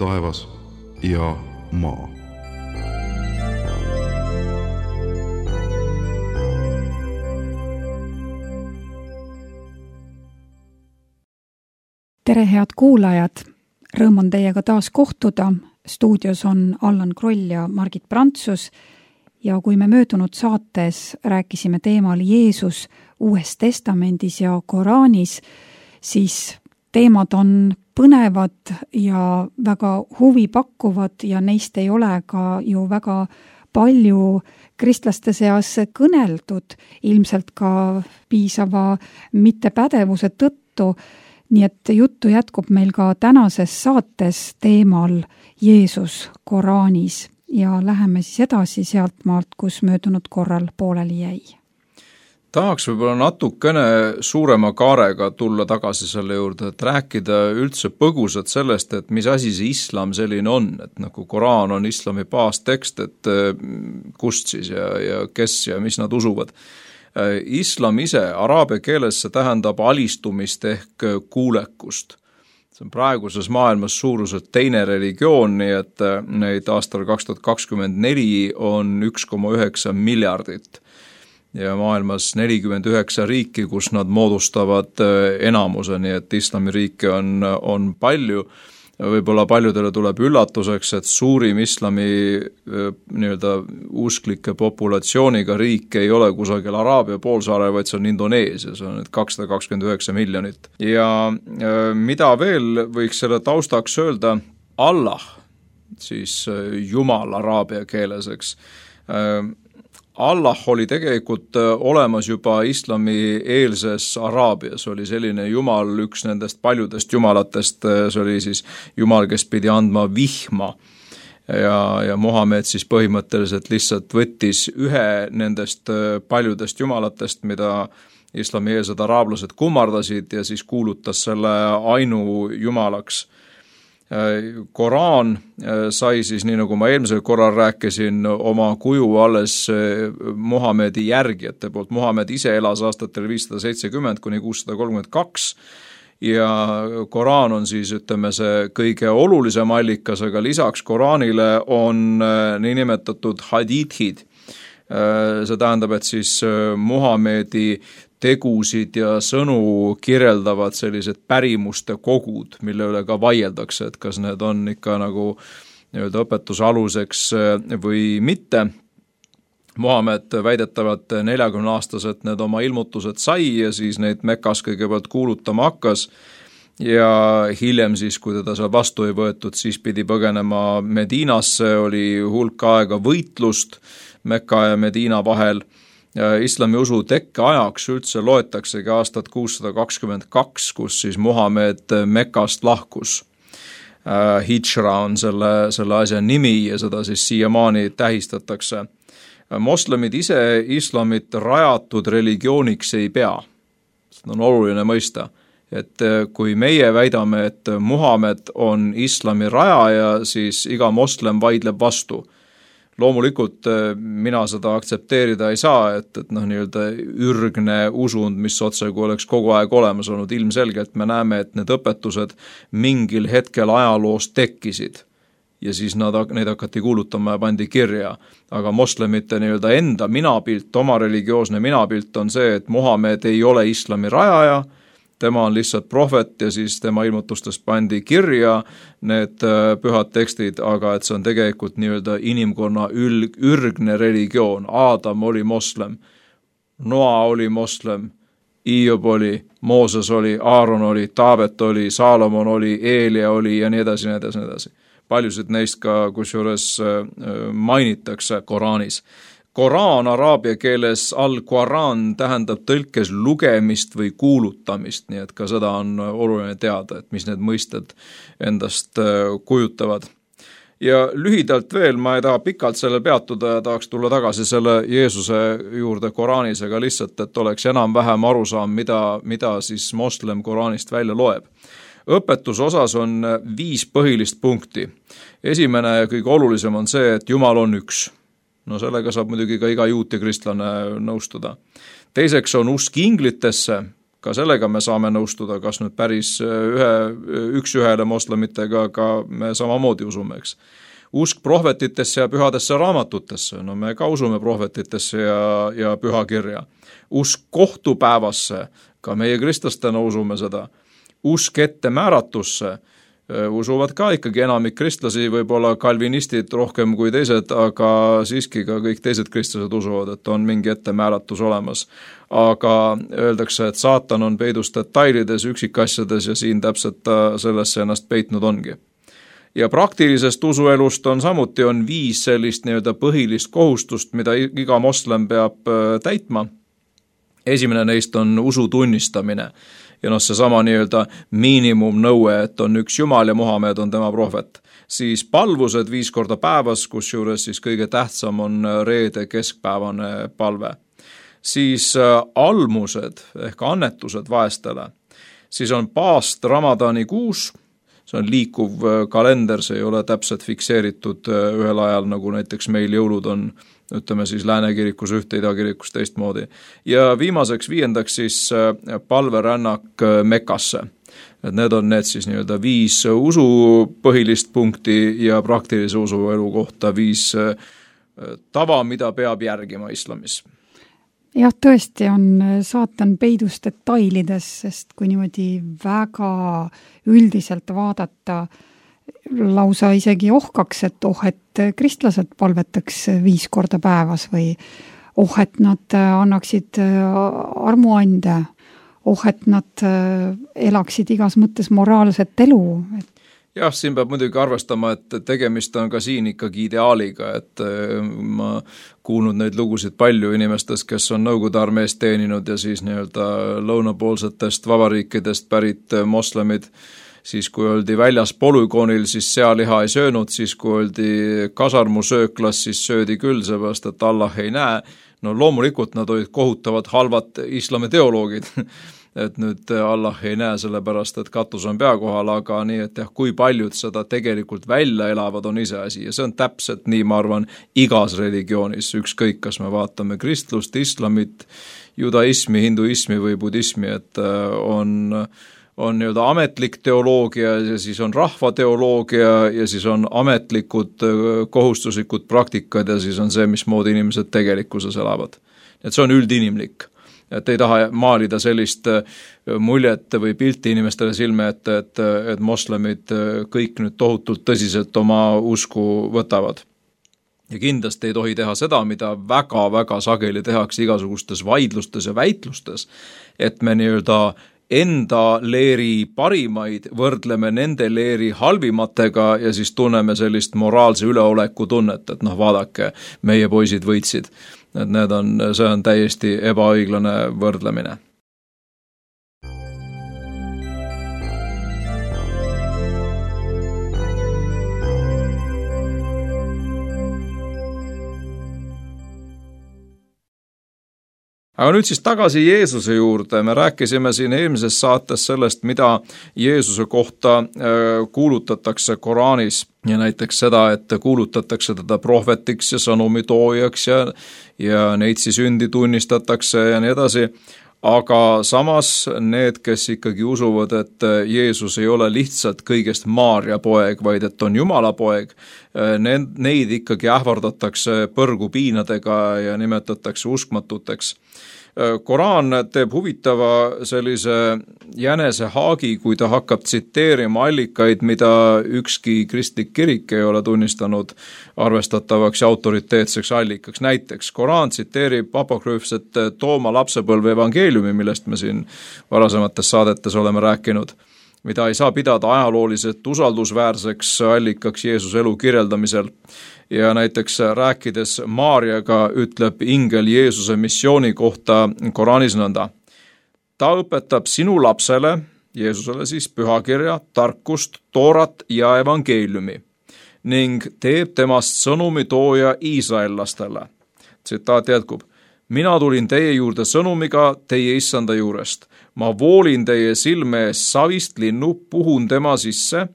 taevas ja maa. Tere, head kuulajad! Rõõm on teiega taas kohtuda. Stuudios on Allan Kroll ja Margit Prantsus. Ja kui me möödunud saates rääkisime teemal Jeesus Uues Testamendis ja Koraanis, siis teemad on põnevad ja väga huvipakkuvad ja neist ei ole ka ju väga palju kristlaste seas kõneldud, ilmselt ka piisava mittepädevuse tõttu. Nii et juttu jätkub meil ka tänases saates teemal Jeesus Koraanis ja läheme siis edasi sealt maalt, kus möödunud korral pooleli jäi. Tahaks võib-olla natukene suurema kaarega tulla tagasi selle juurde, et rääkida üldse põgusalt sellest, et mis asi see islam selline on, et nagu Koraan on islami baastekst, et kust siis ja kes ja mis nad usuvad. Islam ise araabia keeles see tähendab alistumist ehk kuulekust. See on praeguses maailmas suuruselt teine religioon, nii et neid aastal 2024 on 1,9 miljardit ja maailmas 49 riiki, kus nad moodustavad enamuse, nii et islamiriike on palju. Võib-olla paljudele tuleb üllatuseks, et suurim islami nii-öelda usklike populatsiooniga riik ei ole kusagil Araabia poolsaare, vaid see on Indoneesia, see on 229 miljonit. Ja mida veel võiks selle taustaks öelda? Allah, siis Jumal araabia keeles, eks. Allah oli tegelikult olemas juba islami eelses Araabias, oli selline jumal, üks nendest paljudest jumalatest, see oli siis jumal, kes pidi andma vihma ja Muhamed siis põhimõtteliselt lihtsalt võttis ühe nendest paljudest jumalatest, mida islami eelsed araablased kummardasid ja siis kuulutas selle ainu jumalaks. Koraan sai siis, nii nagu ma eelmisel korral rääkisin, oma kuju alles Muhamedi järgijate poolt. Muhamed ise elas aastatel 570 kuni 632 ja Koraan on siis, ütleme, see kõige olulisem allikas, aga lisaks Koraanile on niinimetatud hadiithid. See tähendab, et siis Muhamedi tegusid ja sõnu kirjeldavad sellised pärimuste kogud, mille üle ka vaieldakse, et kas need on ikka nagu nii-öelda õpetuse aluseks või mitte. Muhamed väidetavalt 40-aastaselt need oma ilmutused sai ja siis neid Mekas kõigepealt kuulutama hakkas ja hiljem siis, kui teda seal vastu ei võetud, siis pidi põgenema Medinasse, oli hulk aega võitlust Mekka ja Medina vahel. Islami usu tekke ajaks üldse loetaksegi aastat 622, kus siis Muhamed Mekast lahkus. Hijra on selle asja nimi ja seda siis siiamaani tähistatakse. Moslemid ise islamit rajatud religiooniks ei pea. Seda on oluline mõista, et kui meie väidame, et Muhamed on islami rajaja, siis iga moslem vaidleb vastu. Loomulikult mina seda aktsepteerida ei saa, et nii-öelda ürgne usund, mis otsagu oleks kogu aeg olemas olnud. Ilmselgelt me näeme, et need õpetused mingil hetkel ajaloos tekkisid ja siis neid hakati kuulutama ja pandi kirja. Aga moslemite nii-öelda enda minapilt, oma religioosne minapilt on see, et Muhamed ei ole islami rajaja, tema on lihtsalt prohvet ja siis tema ilmutustest pandi kirja need pühad tekstid, aga et see on tegelikult nii-öelda inimkonna ürgne religioon. Aadam oli moslem, Noa oli moslem, Iiob oli, Mooses oli, Aaron oli, Taavet oli, Saalomon oli, Eelia oli ja nii edasi, nii edasi, nii edasi. Paljusid neist ka kusjuures mainitakse Koraanis. Koraan araabia keeles al-Quran tähendab tõlkes lugemist või kuulutamist, nii et ka seda on oluline teada, et mis need mõisted endast kujutavad. Ja lühidalt veel, ma ei taha pikalt selle peatuda ja tahaks tulla tagasi selle Jeesuse juurde Koraanis, aga lihtsalt, et oleks enam-vähem arusaam, mida siis moslem Koraanist välja loeb. Õpetuse osas on 5 põhilist punkti. Esimene ja kõige olulisem on see, et Jumal on üks. No sellega saab muidugi ka iga juut ja kristlane nõustuda. Teiseks on usk inglitesse, ka sellega me saame nõustuda, kas nüüd päris üks-ühele moslemitega, aga me samamoodi usume, eks. Usk prohvetitesse ja pühadesse raamatutesse, no me ka usume prohvetitesse ja pühakirja. Usk kohtupäevasse, ka meie kristlastena usume seda. Usk ette määratusse, usuvad ka ikkagi enamik kristlasi, võib-olla kalvinistid rohkem kui teised, aga siiski ka kõik teised kristlased usuvad, et on mingi ettemääratus olemas. Aga öeldakse, et saatan on peidus detailides, üksikasjades ja siin täpselt sellesse ennast peitnud ongi. Ja praktilisest usuelust on 5 sellist nii-öelda põhilist kohustust, mida iga moslem peab täitma. Esimene neist on usu tunnistamine. Ja seesama nii-öelda miinimumnõue, et on üks Jumal ja Muhamed on tema prohvet. Siis palvused 5 korda päevas, kusjuures siis kõige tähtsam on reede keskpäevane palve. Siis almused ehk annetused vaestele. Siis on paast Ramadani kuus, see on liikuv kalender, see ei ole täpselt fikseeritud ühel ajal, nagu näiteks meil jõulud on, ütleme siis Lääne kirikus ühte, Ida kirikus teistmoodi. Ja viimaseks 5. siis palverännak Mekasse. Et need on need siis nii-öelda 5 usu põhilist punkti ja praktilise usuelu kohta 5 tava, mida peab järgima islamis. Jah, tõesti on saatan peidus detailides, sest kui niimoodi väga üldiselt vaadata, lausa isegi ohkaks, et kristlased palvetaks 5 korda päevas või et nad annaksid armuande, et nad elaksid igas mõttes moraalset elu. Jah, siin peab muidugi arvestama, et tegemist on ka siin ikkagi ideaaliga, et ma kuulnud neid lugusid palju inimestest, kes on Nõukogude armees teeninud ja siis nii-öelda lõunapoolsetest vabariikidest pärit moslemid, siis kui oldi väljas polügoonil, siis sealiha ei söönud, siis kui oldi kasarmusööklas, siis söödi küll, seepärast, et Allah ei näe. No loomulikult nad olid kohutavad halvad islami teoloogid, et nüüd Allah ei näe sellepärast, et katus on pea kohal, aga nii, et kui paljud seda tegelikult välja elavad, on iseasi. Ja see on täpselt nii, ma arvan, igas religioonis, ükskõik, kas me vaatame kristlust, islamit, judaismi, hinduismi või budismi, et on nii-öelda ametlik teoloogia ja siis on rahvateoloogia ja siis on ametlikud kohustuslikud praktikad ja siis on see, mismoodi inimesed tegelikkuses elavad. Et see on üldinimlik. Et ei taha maalida sellist muljet või pilti inimestele silme, et moslemid kõik nüüd tohutult tõsiselt oma usku võtavad. Ja kindlasti ei tohi teha seda, mida väga-väga sageli tehakse igasugustes vaidlustes ja väitlustes, et me nii-öelda enda leeri parimaid võrdleme nende leeri halvimatega ja siis tunneme sellist moraalse üleoleku tunnet, et vaadake, meie poisid võitsid. Et see on täiesti ebaõiglane võrdlemine. Aga nüüd siis tagasi Jeesuse juurde. Me rääkisime siin eelmises saates sellest, mida Jeesuse kohta kuulutatakse Koraanis ja näiteks seda, et kuulutatakse teda prohvetiks ja sõnumitoojaks ja neitsi sündi tunnistatakse ja nii edasi. Aga samas need, kes ikkagi usuvad, et Jeesus ei ole lihtsalt kõigest Maarja poeg, vaid et on Jumala poeg, neid ikkagi ähvardatakse põrgupiinadega ja nimetatakse uskmatuteks. Koraan teeb huvitava sellise jänese haagi, kui ta hakkab tsiteerima allikaid, mida ükski kristlik kirik ei ole tunnistanud arvestatavaks ja autoriteetseks allikaks. Näiteks Koraan tsiteerib apokrüüfset Tooma lapsepõlve evangeeliumi, millest me siin varasemates saadetes oleme rääkinud, mida ei saa pidada ajalooliselt usaldusväärseks allikaks Jeesuse elu kirjeldamisel. Ja näiteks rääkides Maarjaga ütleb ingel Jeesuse missiooni kohta Koraanis nõnda. Ta õpetab sinu lapsele, Jeesusele siis pühakirja, tarkust, toorat ja evangeeliumi ning teeb temast sõnumitooja iisraellastele. Tsitaat jätkub. Mina tulin teie juurde sõnumiga teie issanda juurest. Ma voolin teie silme ees savist linnu, puhun tema sisse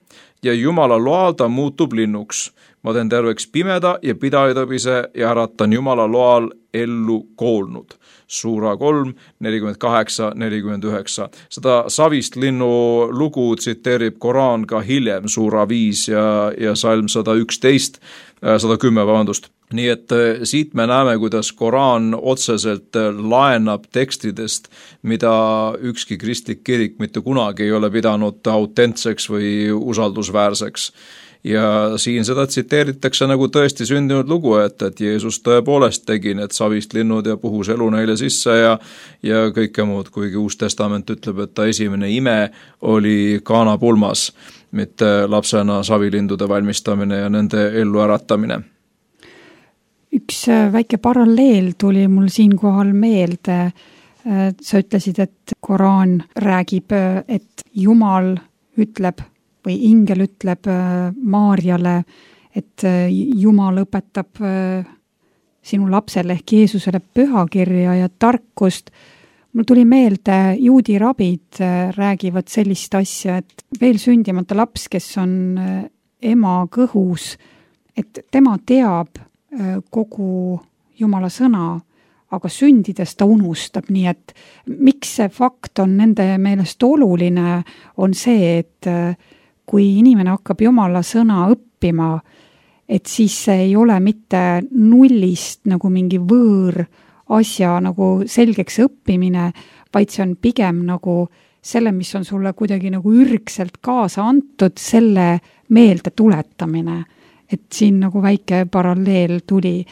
ja Jumala loal ta muutub linnuks. Ma teen terveks pimeda ja pidajatõbise ja äratan Jumala loal ellu koolnud. Suura 3, 48-49. Seda savist linnu lugu tsiteerib Koraan ka hiljem, suura 5 ja salm 110, vabandust. Nii et siit me näeme, kuidas Koraan otseselt laenab tekstidest, mida ükski kristlik kirik mitte kunagi ei ole pidanud autentseks või usaldusväärseks. Ja siin seda tsiteeritakse nagu tõesti sündinud lugu, et Jeesus tõepoolest tegi need savist linnud ja puhus elu neile sisse ja kõike muud, kuigi Uus Testament ütleb, et ta esimene ime oli kaanapulmas, mitte lapsena savilindude valmistamine ja nende ellu äratamine. Üks väike paralleel tuli mul siinkohal meelde. Sa ütlesid, et Koraan räägib, et Jumal ütleb või ingel ütleb Maarjale, et Jumal õpetab sinu lapsele ehk Jeesusele pühakirja ja tarkust. Mul tuli meelde, juudi rabid räägivad sellist asja, et veel sündimata laps, kes on ema kõhus, et tema teab kogu Jumala sõna, aga sündides ta unustab, nii et miks see fakt on nende meelest oluline, on see, et kui inimene hakkab Jumala sõna õppima, et siis see ei ole mitte nullist nagu mingi võõr asja nagu selgeks õppimine, vaid see on pigem nagu selle, mis on sulle kuidagi nagu ürgselt kaasa antud, selle meelde tuletamine. Et siin nagu väike paralleel tuli.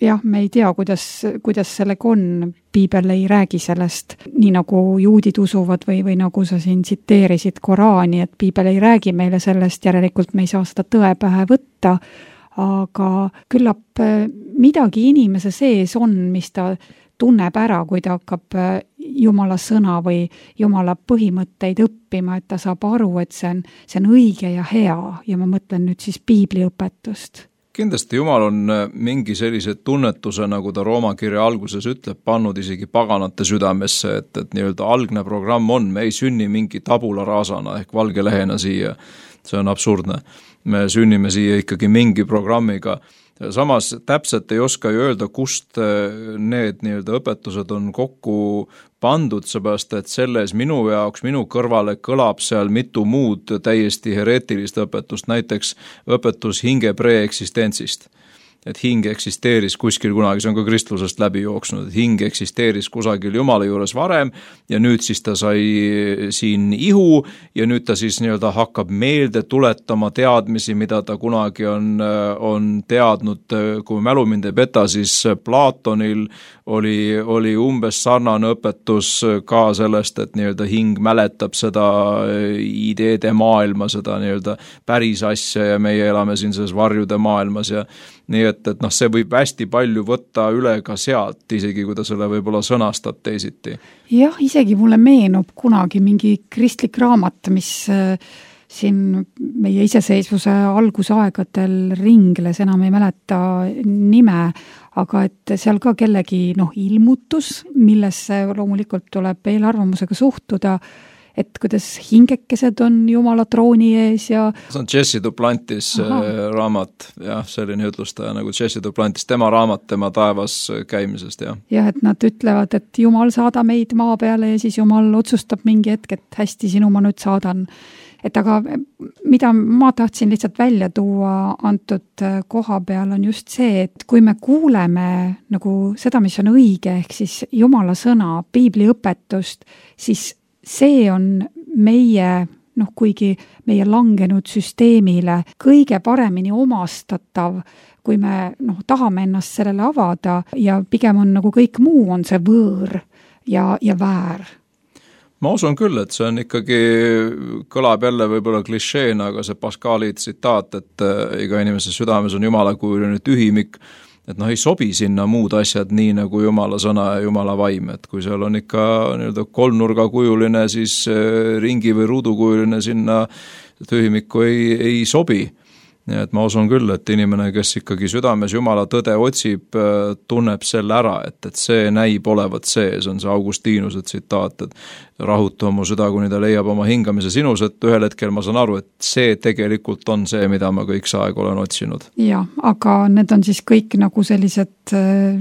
Jah, me ei tea, kuidas sellega on. Piibel ei räägi sellest, nii nagu juudid usuvad või nagu sa siin tsiteerisid Koraani, et Piibel ei räägi meile sellest, järelikult me ei saa seda tõe pähe võtta, aga küllap midagi inimese sees on, mis ta tunneb ära, kui ta hakkab Jumala sõna või Jumala põhimõtteid õppima, et ta saab aru, et see on õige ja hea ja ma mõtlen nüüd siis piibliõpetust. Kindlasti Jumal on mingi sellise tunnetuse, nagu ta Rooma kirja alguses ütleb, pannud isegi paganate südamesse, et nii-öelda algne programm on, me ei sünni mingi tabula rasana ehk valge lehena siia, see on absurdne. Me sünnime siia ikkagi mingi programmiga. Samas täpselt ei oska ju öelda, kust need nii-öelda õpetused on kokku pandud, seepärast, et selles minu kõrvale kõlab seal mitu muud täiesti hereetilist õpetust, näiteks õpetus hinge preeksistentsist. Et hing eksisteeris kuskil kunagi, see on ka kristlusest läbi jooksnud, et hing eksisteeris kusagil Jumala juures varem ja nüüd siis ta sai siin ihu ja nüüd ta siis nii-öelda hakkab meelde tuletama teadmisi, mida ta kunagi on teadnud. Kui mälu mind ei peta, siis Platonil oli umbes sarnane õpetus ka sellest, et nii-öelda hing mäletab seda ideede maailma, seda nii-öelda päris asja ja meie elame siin selles varjude maailmas ja nii et see võib hästi palju võtta üle ka sealt, isegi kui ta selle võib-olla sõnastab teisiti. Jah, isegi mulle meenub kunagi mingi kristlik raamat, mis siin meie iseseisvuse algusaegadel ringles, enam ei mäleta nime, aga et seal ka kellegi ilmutus, millesse loomulikult tuleb eelarvamusega suhtuda, et kuidas hingekesed on Jumala trooni ees ja... See on Jesse Duplantis raamat, jah, selline ütlustaja nagu Jesse Duplantis, tema raamat, tema taevas käimisest, jah. Ja, et nad ütlevad, et Jumal saada meid maa peale ja siis Jumal otsustab mingi hetk, et hästi, sinu ma nüüd saadan. Et aga mida ma tahtsin lihtsalt välja tuua antud koha peal on just see, et kui me kuuleme nagu seda, mis on õige, ehk siis Jumala sõna, piibli õpetust, siis see on meie, kuigi meie langenud süsteemile kõige paremini omastatav, kui me tahame ennast sellele avada ja pigem on nagu kõik muu on see võõr ja väär. Ma usun küll, et see on ikkagi, kõlab jälle võib-olla klišeena, aga see Pascali tsitaat, et iga inimese südames on jumalakujuline tühimik, et ei sobi sinna muud asjad nii nagu Jumala sõna ja Jumala vaim, et kui seal on ikka nii-öelda kolmnurgakujuline, siis ringi või ruudukujuline sinna tühimikku ei sobi. Nii et ma usun küll, et inimene, kes ikkagi südames Jumala tõde otsib, tunneb selle ära, et see näib olevat see on see Augustinuse tsitaat, et rahuta mu süda, kuni ta leiab oma hingamise sinus, et ühel hetkel ma saan aru, et see tegelikult on see, mida ma kõik see aeg olen otsinud. Jah, aga need on siis kõik nagu sellised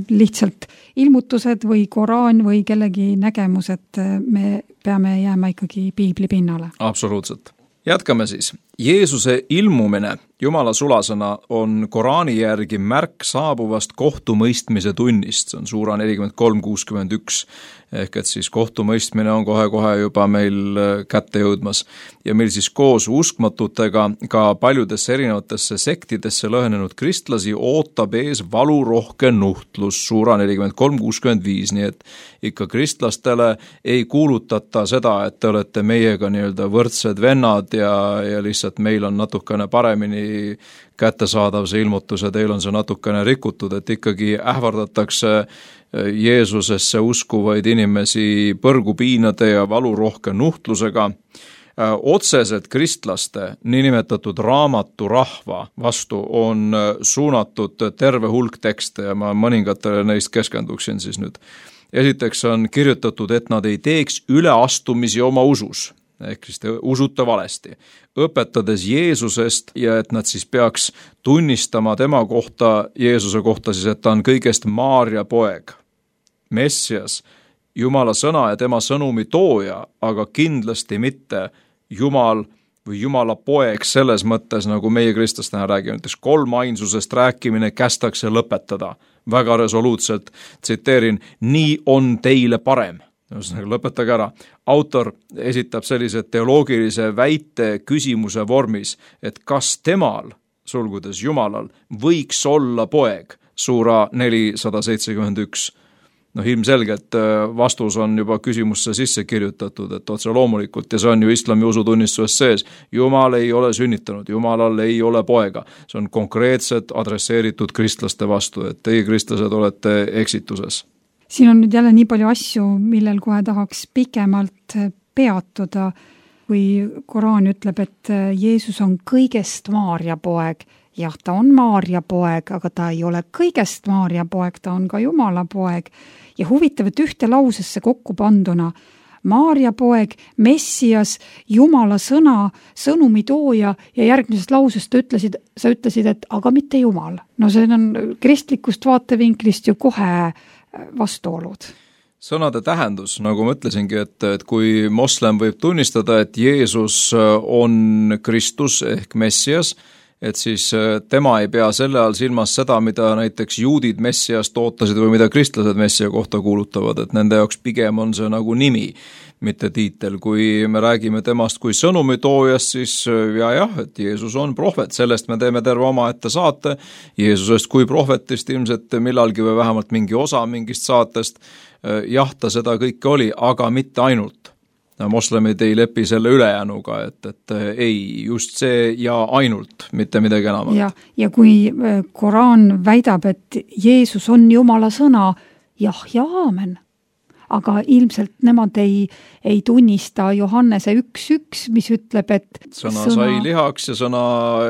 lihtsalt ilmutused või Koraan või kellegi nägemus, et me peame jääma ikkagi piibli pinnale. Absoluutselt. Jätkame siis. Jeesuse ilmumine, Jumala sulasõna, on Koraani järgi märk saabuvast kohtumõistmise tunnist. See on suura 43:61. Ehk et siis kohtumõistmine on kohe-kohe juba meil kätte jõudmas. Ja meil siis koos uskmatutega ka paljudesse erinevatesse sektidesse lõhenenud kristlasi ootab ees valurohke nuhtlus, suura 43:65. Nii et ikka kristlastele ei kuulutata seda, et te olete meiega nii-öelda võrdsed vennad ja lihtsalt meil on natukene paremini kättesaadav see ilmutus ja teil on see natukene rikutud, et ikkagi ähvardatakse Jeesusesse uskuvaid inimesi põrgupiinade ja valurohke nuhtlusega. Otseselt kristlaste niinimetatud raamaturahva vastu on suunatud terve hulk tekste ja ma mõningatele neist keskenduksin siis nüüd. Esiteks on kirjutatud, et nad ei teeks üleastumisi oma usus, ehk siis te usute valesti, õpetades Jeesusest ja et nad siis peaks tunnistama tema kohta, Jeesuse kohta siis, et ta on kõigest Maarja poeg, Messias, Jumala sõna ja tema sõnumi tooja, aga kindlasti mitte Jumal või Jumala poeg selles mõttes, nagu meie kristlastena räägime, näiteks kolmainsusest rääkimine kästakse lõpetada. Väga resoluutselt tsiteerin, nii on teile parem. Lõpetage ära. Autor esitab sellise teoloogilise väite küsimuse vormis, et kas temal, sulgudes Jumalal, võiks olla poeg, suura 471. Ilmselgelt vastus on juba küsimusse sisse kirjutatud, et otse loomulikult, ja see on ju islami usutunnistuses sees, Jumal ei ole sünnitanud, Jumalal ei ole poega. See on konkreetselt adresseeritud kristlaste vastu, et teie kristlased olete eksituses. Siin on nüüd jälle nii palju asju, millel kohe tahaks pikemalt peatuda, kui Koraan ütleb, et Jeesus on kõigest Maarja poeg. Jah, ta on Maarja poeg, aga ta ei ole kõigest Maarja poeg, ta on ka Jumala poeg. Ja huvitav, et ühte lausesse kokku panduna Maarja poeg, Messias, Jumala sõna, sõnumi tooja ja järgmisest lausest sa ütlesid, et aga mitte Jumal. No see on kristlikust vaatevinklist ju kohe vastuolud. Sõnade tähendus, nagu ma ütlesingi, et kui moslem võib tunnistada, et Jeesus on Kristus ehk Messias, et siis tema ei pea selle all silmas seda, mida näiteks juudid Messiast ootasid või mida kristlased Messia kohta kuulutavad, et nende jaoks pigem on see nagu nimi, mitte tiitel. Kui me räägime temast kui sõnumitoojast, siis jah, et Jeesus on prohvet, sellest me teeme terve omaette saate, Jeesusest kui prohvetist ilmselt millalgi või vähemalt mingi osa mingist saatest, jah, ta seda kõike oli, aga mitte ainult. Moslemid ei lepi selle ülejäänuga, et ei, just see ja ainult, mitte midagi enamat. Ja kui Koraan väidab, et Jeesus on Jumala sõna, jah ja aamen. Aga ilmselt nemad ei tunnista Johannese 1.1, mis ütleb, et sõna sai lihaks ja sõna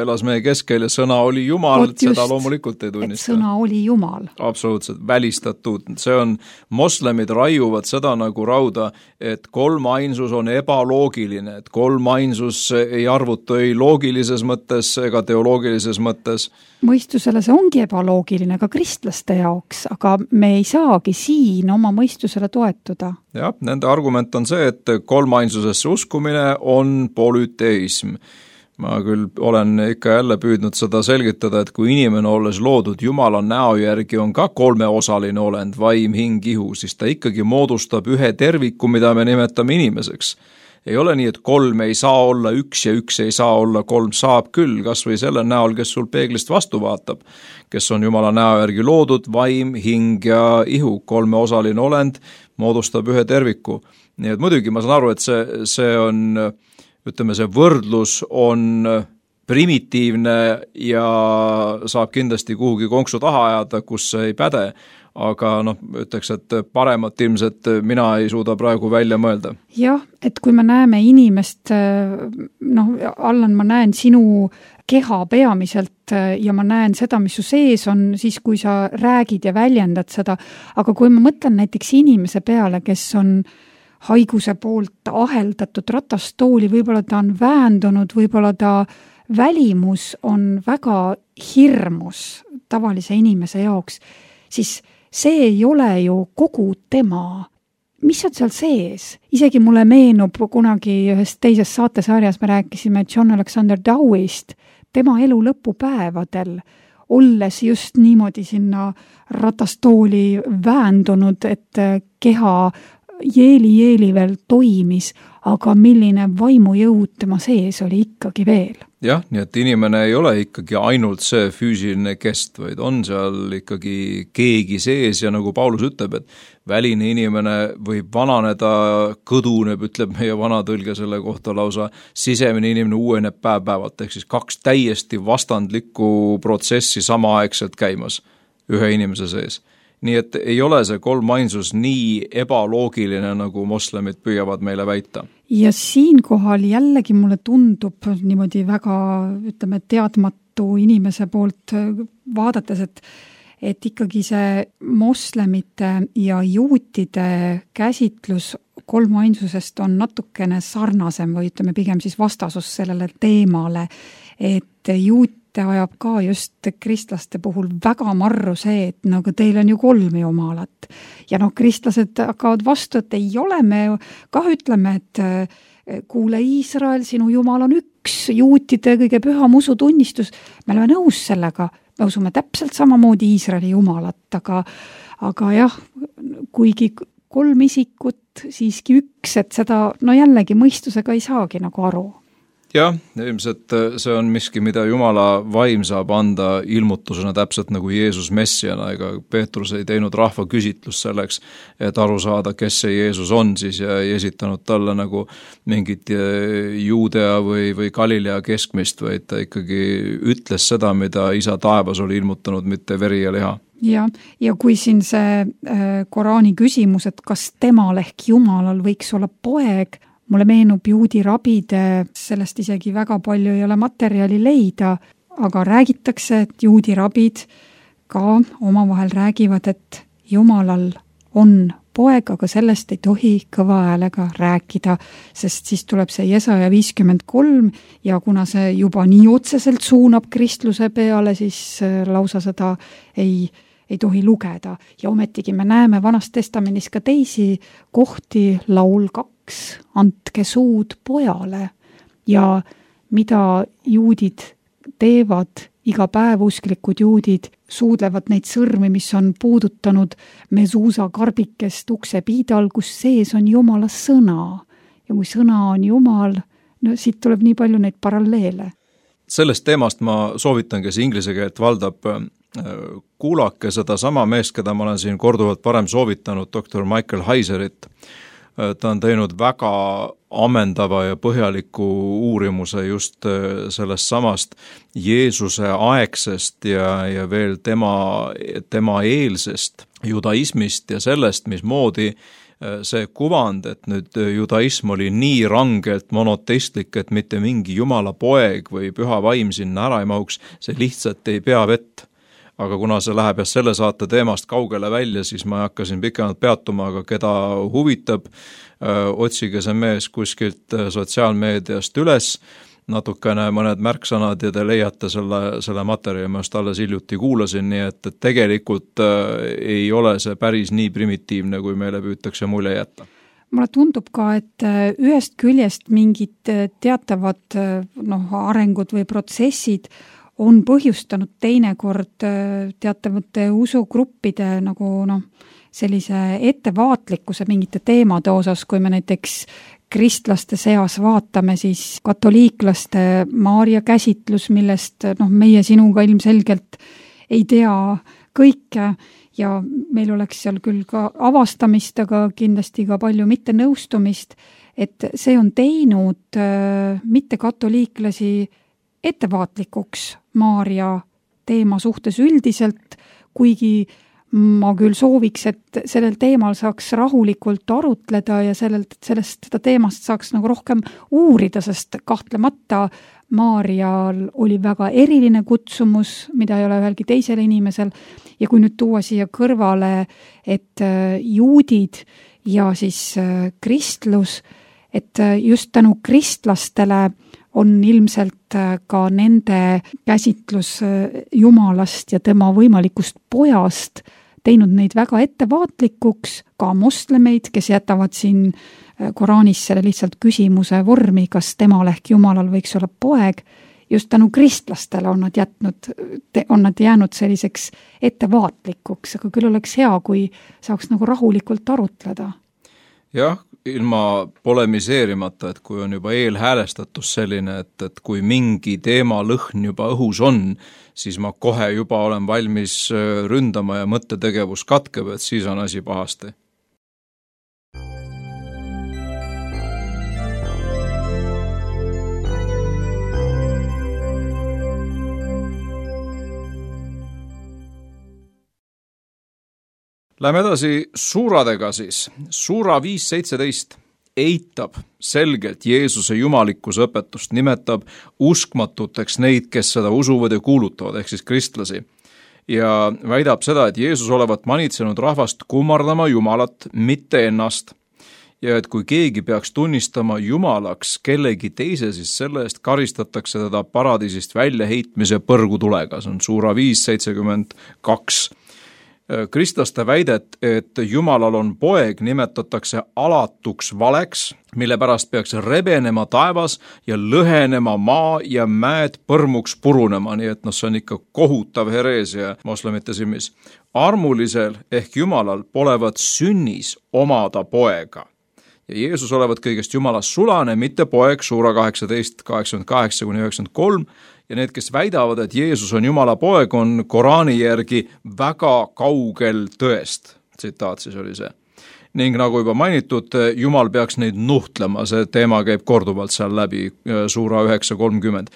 elas meie keskel ja sõna oli Jumal, et seda loomulikult ei tunnista. Sõna oli Jumal. Absoluutselt, välistatud. See on, moslemid raiuvad seda nagu rauda, et kolmainsus on ebaloogiline, et kolmainsus ei arvutu ei loogilises mõttes ega teoloogilises mõttes. Mõistusele see ongi ebaloogiline ka kristlaste jaoks, aga me ei saagi siin oma mõistusele toetuda. Jah, nende argument on see, et kolmainsusesse uskumine on polüteism. Ma küll olen ikka jälle püüdnud seda selgitada, et kui inimene olles loodud Jumala näo järgi on ka kolmeosaline olend, vaim, hing, ihu, siis ta ikkagi moodustab ühe terviku, mida me nimetame inimeseks. Ei ole nii, et kolm ei saa olla üks ja üks ei saa olla kolm, saab küll, kas või selle näol, kes sul peeglist vastu vaatab, kes on Jumala näo järgi loodud, vaim, hing ja ihu, kolmeosaline olend moodustab ühe terviku. Nii et muidugi ma saan aru, et see on, ütleme, see võrdlus on primitiivne ja saab kindlasti kuhugi konksu taha ajada, kus see ei päde, aga ütleks, et paremat ilmselt mina ei suuda praegu välja mõelda. Jah, et kui me näeme inimest, Allan, ma näen sinu keha peamiselt ja ma näen seda, mis su sees on siis, kui sa räägid ja väljendad seda, aga kui ma mõtlen näiteks inimese peale, kes on haiguse poolt aheldatud ratastooli, võib-olla ta on väändunud, võib-olla ta välimus on väga hirmus tavalise inimese jaoks, siis see ei ole ju kogu tema. Mis on seal sees? Isegi mulle meenub kunagi ühes teises saatesarjas, me rääkisime John Alexander Dowist, tema elu lõpupäevadel, olles just niimoodi sinna ratastooli väändunud, et keha jeeli veel toimis, aga milline vaimujõud tema sees oli ikkagi veel. Jah, nii et inimene ei ole ikkagi ainult see füüsiline kest, vaid on seal ikkagi keegi sees ja nagu Paulus ütleb, et väline inimene võib vananeda, kõduneb, ütleb meie vanatõlge selle kohta lausa, sisemine inimene uueneb päev-päevalt, ehk siis 2 täiesti vastandlikku protsessi samaaegselt käimas ühe inimese sees. Nii et ei ole see kolmainsus nii ebaloogiline, nagu moslemid püüavad meile väita. Ja siinkohal jällegi mulle tundub niimoodi väga, ütleme, teadmatu inimese poolt vaadates, et ikkagi see moslemite ja juutide käsitlus kolmainsusest on natukene sarnasem või ütleme pigem siis vastasus sellele teemale, et juut ajab ka just kristlaste puhul väga marru see, et aga teil on ju 3 jumalat. Ja kristlased hakkavad vastu, et ei ole, me kah ütleme, et kuule Iisrael, sinu jumal on üks, juutide kõige püham usutunnistus. Me oleme nõus sellega, me usume täpselt samamoodi Iisraeli jumalat, aga jah, kuigi 3 isikut, siiski üks, et seda jällegi mõistusega ei saagi nagu aru. Jah, ilmselt see on miski, mida Jumala vaim saab anda ilmutusena täpselt nagu Jeesus messiana, ega Peetrus ei teinud rahva küsitlust selleks, et aru saada, kes see Jeesus on siis ja ei esitanud talle nagu mingit Juudea või Galilea keskmist, vaid ta ikkagi ütles seda, mida isa taevas oli ilmutanud, mitte veri ja liha. Ja kui siin see Koraani küsimus, et kas temal ehk Jumalal võiks olla poeg, mulle meenub juudi rabide, sellest isegi väga palju ei ole materjali leida, aga räägitakse, et juudi rabid ka omavahel räägivad, et Jumalal on poeg, aga sellest ei tohi kõva häälega rääkida, sest siis tuleb see Jesaja 53 ja kuna see juba nii otseselt suunab kristluse peale, siis lausa seda ei tohi lugeda. Ja ometigi me näeme Vanas Testamendis ka teisi kohti, laul 2, andke suud pojale ja mida juudid teevad, iga päev usklikud juudid suudlevad neid sõrmi, mis on puudutanud mesuusa karbikest ukse piidal, kus sees on Jumala sõna. Ja kui sõna on Jumal, siit tuleb nii palju neid paralleele. Sellest teemast ma soovitan, kes inglise keelt valdab, kuulake seda sama meest, keda ma olen siin korduvalt varem soovitanud, doktor Michael Heiserit. Ta on teinud väga ammendava ja põhjaliku uurimuse just sellest samast Jeesuse aegsest ja veel tema eelsest judaismist ja sellest, mismoodi see kuvand, et nüüd judaism oli nii rangelt monoteistlik, et mitte mingi Jumala poeg või püha vaim sinna ära ei mahuks, see lihtsalt ei pea vett. Aga kuna see läheb selle saate teemast kaugele välja, siis ma hakkasin pikemalt peatuma, aga keda huvitab, otsige see mees kuskilt sotsiaalmeediast üles, natukene mõned märksõnad ja te leiate selle materjali, ma just alles hiljuti kuulasin, nii et tegelikult ei ole see päris nii primitiivne, kui meile püütakse mulje jätta. Mulle tundub ka, et ühest küljest mingid teatavad arengud või protsessid on põhjustanud teinekord teatavate usugruppide sellise ettevaatlikkuse mingite teemade osas, kui me näiteks kristlaste seas vaatame, siis katoliiklaste Maaria käsitlus, millest meie sinuga ilmselgelt ei tea kõike ja meil oleks seal küll ka avastamist, aga kindlasti ka palju mitte nõustumist, et see on teinud mitte katoliiklasi ettevaatlikuks Maaria teema suhtes üldiselt, kuigi ma küll sooviks, et sellel teemal saaks rahulikult arutleda ja seda teemast saaks rohkem uurida, sest kahtlemata Maarjal oli väga eriline kutsumus, mida ei ole ühelgi teisel inimesel, ja kui nüüd tuua siia kõrvale, et juudid ja siis kristlus, et just tänu kristlastele on ilmselt ka nende käsitlus Jumalast ja tema võimalikust pojast teinud neid väga ettevaatlikuks, ka moslemeid, kes jätavad siin Koraanis selle lihtsalt küsimuse vormi, kas temal ehk Jumalal võiks olla poeg. Just tänu kristlastele on nad jäänud selliseks ettevaatlikuks, aga küll oleks hea, kui saaks nagu rahulikult arutleda. Jah, ilma polemiseerimata, et kui on juba eelhäälestatus selline, et kui mingi teema lõhn juba õhus on, siis ma kohe juba olen valmis ründama ja mõttetegevus katkeb, et siis on asi pahasti. Läheme edasi suuradega siis. Suura 5.17 eitab selgelt Jeesuse jumalikkuse õpetust, nimetab uskmatuteks neid, kes seda usuvad ja kuulutavad, ehk siis kristlasi. Ja väidab seda, et Jeesus olevat manitsenud rahvast kummardama Jumalat, mitte ennast. Ja et kui keegi peaks tunnistama Jumalaks kellegi teise, siis selle eest karistatakse teda paradiisist väljaheitmise põrgutulega. See on Suura 5.72. Kristlaste väidet, et Jumalal on poeg, nimetatakse alatuks valeks, mille pärast peaks rebenema taevas ja lõhenema maa ja mäed põrmuks purunema, nii et see on ikka kohutav hereesia moslemite silmis. Armulisel ehk Jumalal polevat sünnis omada poega. Ja Jeesus olevat kõigest Jumalast sulane, mitte poeg, Suura 18, 88-93, ja need, kes väidavad, et Jeesus on Jumala poeg, on Koraani järgi väga kaugel tõest. Tsitaat siis oli see. Ning nagu juba mainitud, Jumal peaks neid nuhtlema, see teema käib korduvalt seal läbi, Suura 9.30.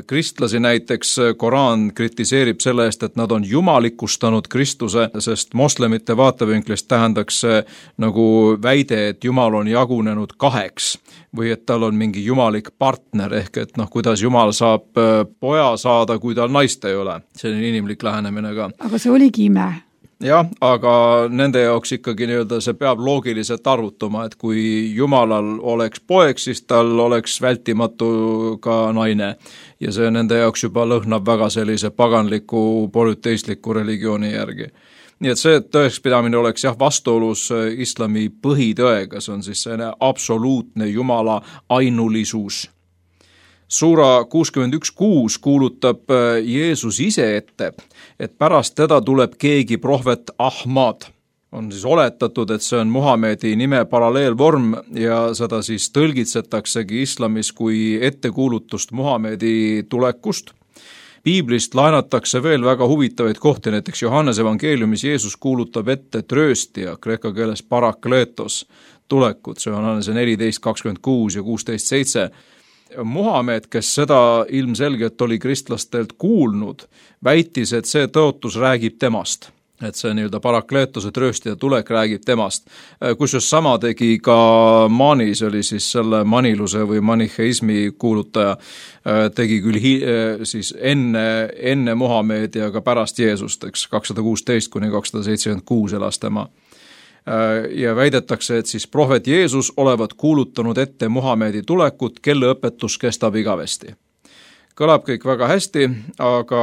Kristlasi näiteks Koraan kritiseerib selle eest, et nad on jumalikustanud Kristuse, sest moslemite vaatevinklist tähendaks nagu väide, et Jumal on jagunenud kaheks või et tal on mingi jumalik partner, ehk et kuidas Jumal saab poja saada, kui tal naist ei ole. See on inimlik lähenemine ka. Aga see oligi ime. Jah, aga nende jaoks ikkagi see peab loogiliselt arvutuma, et kui Jumalal oleks poeg, siis tal oleks vältimatu ka naine. Ja see nende jaoks juba lõhnab väga sellise paganliku, polüteistliku religiooni järgi. Nii et see tõekspidamine oleks vastuolus islami põhitõega, see on siis selline absoluutne Jumala ainulisus. Suura 61.6 kuulutab Jeesus ise ette, et pärast teda tuleb keegi prohvet Ahmad. On siis oletatud, et see on Muhamedi nime paralleelvorm ja seda siis tõlgitsetaksegi islamis kui ettekuulutust Muhamedi tulekust. Piiblist laenatakse veel väga huvitavaid kohti, näiteks Johannese evangeeliumis Jeesus kuulutab ette trööstija, kreeka keeles parakletos tulekut, see on Johannese 14.26 ja 16.7. Muhamed, kes seda ilmselgelt oli kristlastelt kuulnud, väitis, et see tõotus räägib temast. Et see parakleetose trööstija tulek räägib temast. Kusjuures sama tegi ka Manis, oli siis selle maniluse või maniheismi kuulutaja, tegi küll siis enne Muhamedi ja ka pärast Jeesust, 216-276 elas tema. Ja väidetakse, et siis prohvet Jeesus olevat kuulutanud ette Muhamedi tulekut, kelle õpetus kestab igavesti. Kõlab kõik väga hästi, aga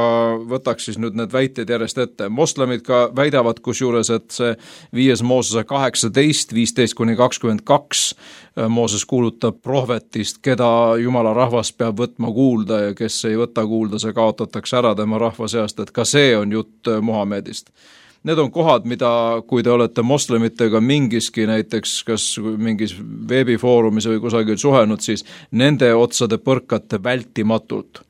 võtaks siis nüüd need väited järjest ette. Moslemid ka väidavad kusjuures, et see 5. Moosese 18, 15-22 Mooses kuulutab prohvetist, keda Jumala rahvas peab võtma kuulda ja kes ei võta kuulda, see kaotatakse ära tema rahva seast, et ka see on jutt Muhamedist. Need on kohad, mida, kui te olete moslemitega mingiski näiteks kas mingis veebifoorumis või kusagil suhelnud, siis nende otsade põrkate vältimatult.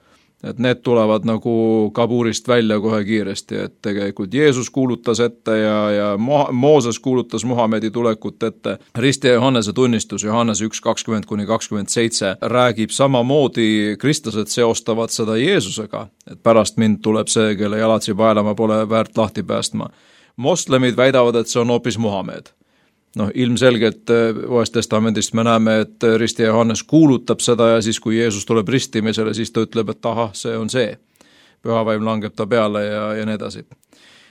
Et need tulevad nagu kabuurist välja kohe kiiresti, et tegelikult Jeesus kuulutas ette ja Mooses kuulutas Muhamedi tulekut ette. Risti Johannese tunnistus, Johannese 1.20-27 räägib samamoodi, kristlased seostavad seda Jeesusega, et pärast mind tuleb see, kelle jalatsi paelama pole väärt lahti päästma. Moslemid väidavad, et see on hoopis Muhamed. Ilmselgelt Uuest Testamendist me näeme, et ristija Johannes kuulutab seda ja siis, kui Jeesus tuleb ristimisele, siis ta ütleb, et ahah, see on see. Pühavaim langeb ta peale ja nii edasi.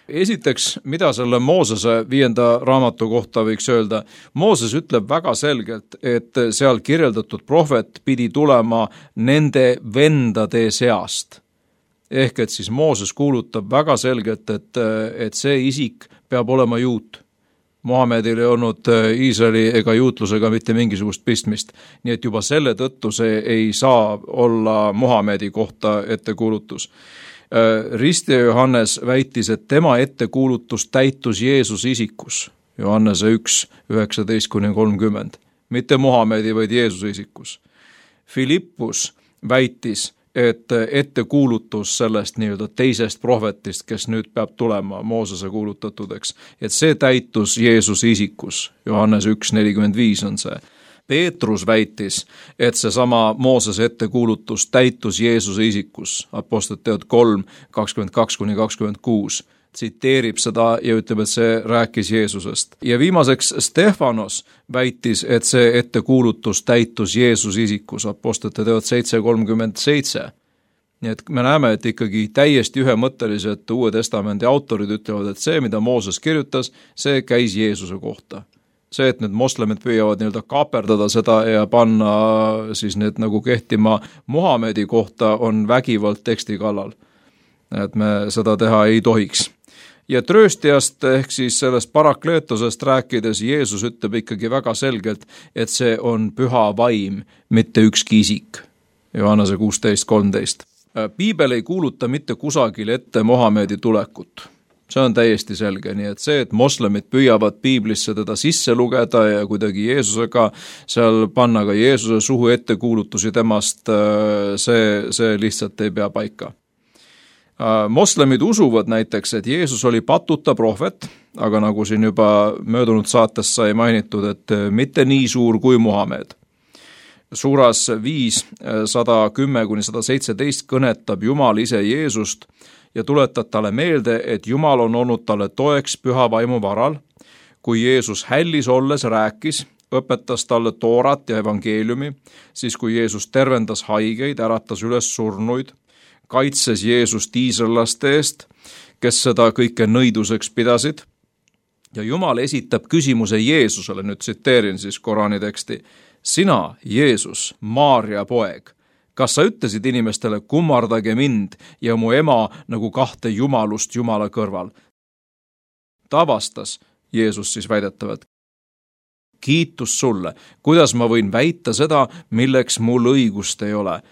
Esiteks, mida selle Moosese 5. raamatu kohta võiks öelda? Mooses ütleb väga selgelt, et seal kirjeldatud prohvet pidi tulema nende vendade seast. Ehk et siis Mooses kuulutab väga selgelt, et see isik peab olema juut. Mohamedil ei olnud Iisraeli ega juutlusega mitte mingisugust pistmist. Nii et juba selle tõttu see ei saa olla Mohamedi kohta ettekuulutus. Ristija Johannes väitis, et tema ettekuulutus täitus Jeesuse isikus, Johannese 1, 19-30, mitte Mohamedi, vaid Jeesuse isikus. Filippus väitis, et ettekuulutus sellest nii-öelda teisest prohvetist, kes nüüd peab tulema Moosese kuulutatudeks, et see täitus Jeesuse isikus, Johannes 1, 45 on see. Peetrus väitis, et seesama Moosese ettekuulutus täitus Jeesuse isikus, Apostlite teod 3, 22-26, tsiteerib seda ja ütleb, et see rääkis Jeesusest. Ja viimaseks Stefanos väitis, et see ettekuulutus täitus Jeesuse isikus, Apostlite teod 7:37. Nii et me näeme, et ikkagi täiesti ühemõtteliselt Uue Testamendi autorid ütlevad, et see, mida Mooses kirjutas, see käis Jeesuse kohta. See, et need moslemid püüavad nii-öelda kaaperdada seda ja panna siis need nagu kehtima Mohamedi kohta, on vägivald teksti kallal. Et me seda teha ei tohiks. Ja trööstijast ehk siis sellest parakleetosest rääkides Jeesus ütleb ikkagi väga selgelt, et see on püha vaim, mitte ükski isik. Johannese 16:13. Piibel ei kuuluta mitte kusagil ette Mohamedi tulekut. See on täiesti selge, nii et see, et moslemid püüavad piiblisse teda sisse lugeda ja kuidagi Jeesusega seal panna ka Jeesuse suhu ettekuulutusi temast, see lihtsalt ei pea paika. Moslemid usuvad näiteks, et Jeesus oli patuta prohvet, aga nagu siin juba möödunud saates sai mainitud, et mitte nii suur kui Muhamed. Suuras 5, 110-117 kõnetab Jumal ise Jeesust ja tuletab talle meelde, et Jumal on olnud talle toeks püha vaimu varal. Kui Jeesus hällis olles rääkis, õpetas talle toorat ja evangeeliumi, siis kui Jeesus tervendas haigeid, äratas üles surnuid, kaitses Jeesust iisraellaste eest, kes seda kõike nõiduseks pidasid. Ja Jumal esitab küsimuse Jeesusele, nüüd tsiteerin siis Korani teksti, sina, Jeesus, Maaria poeg, kas sa ütlesid inimestele, kummardage mind ja mu ema nagu kahte jumalust Jumala kõrval? Ta vastas, Jeesus siis väidetavalt, kiitus sulle, kuidas ma võin väita seda, milleks mul õigust ei ole?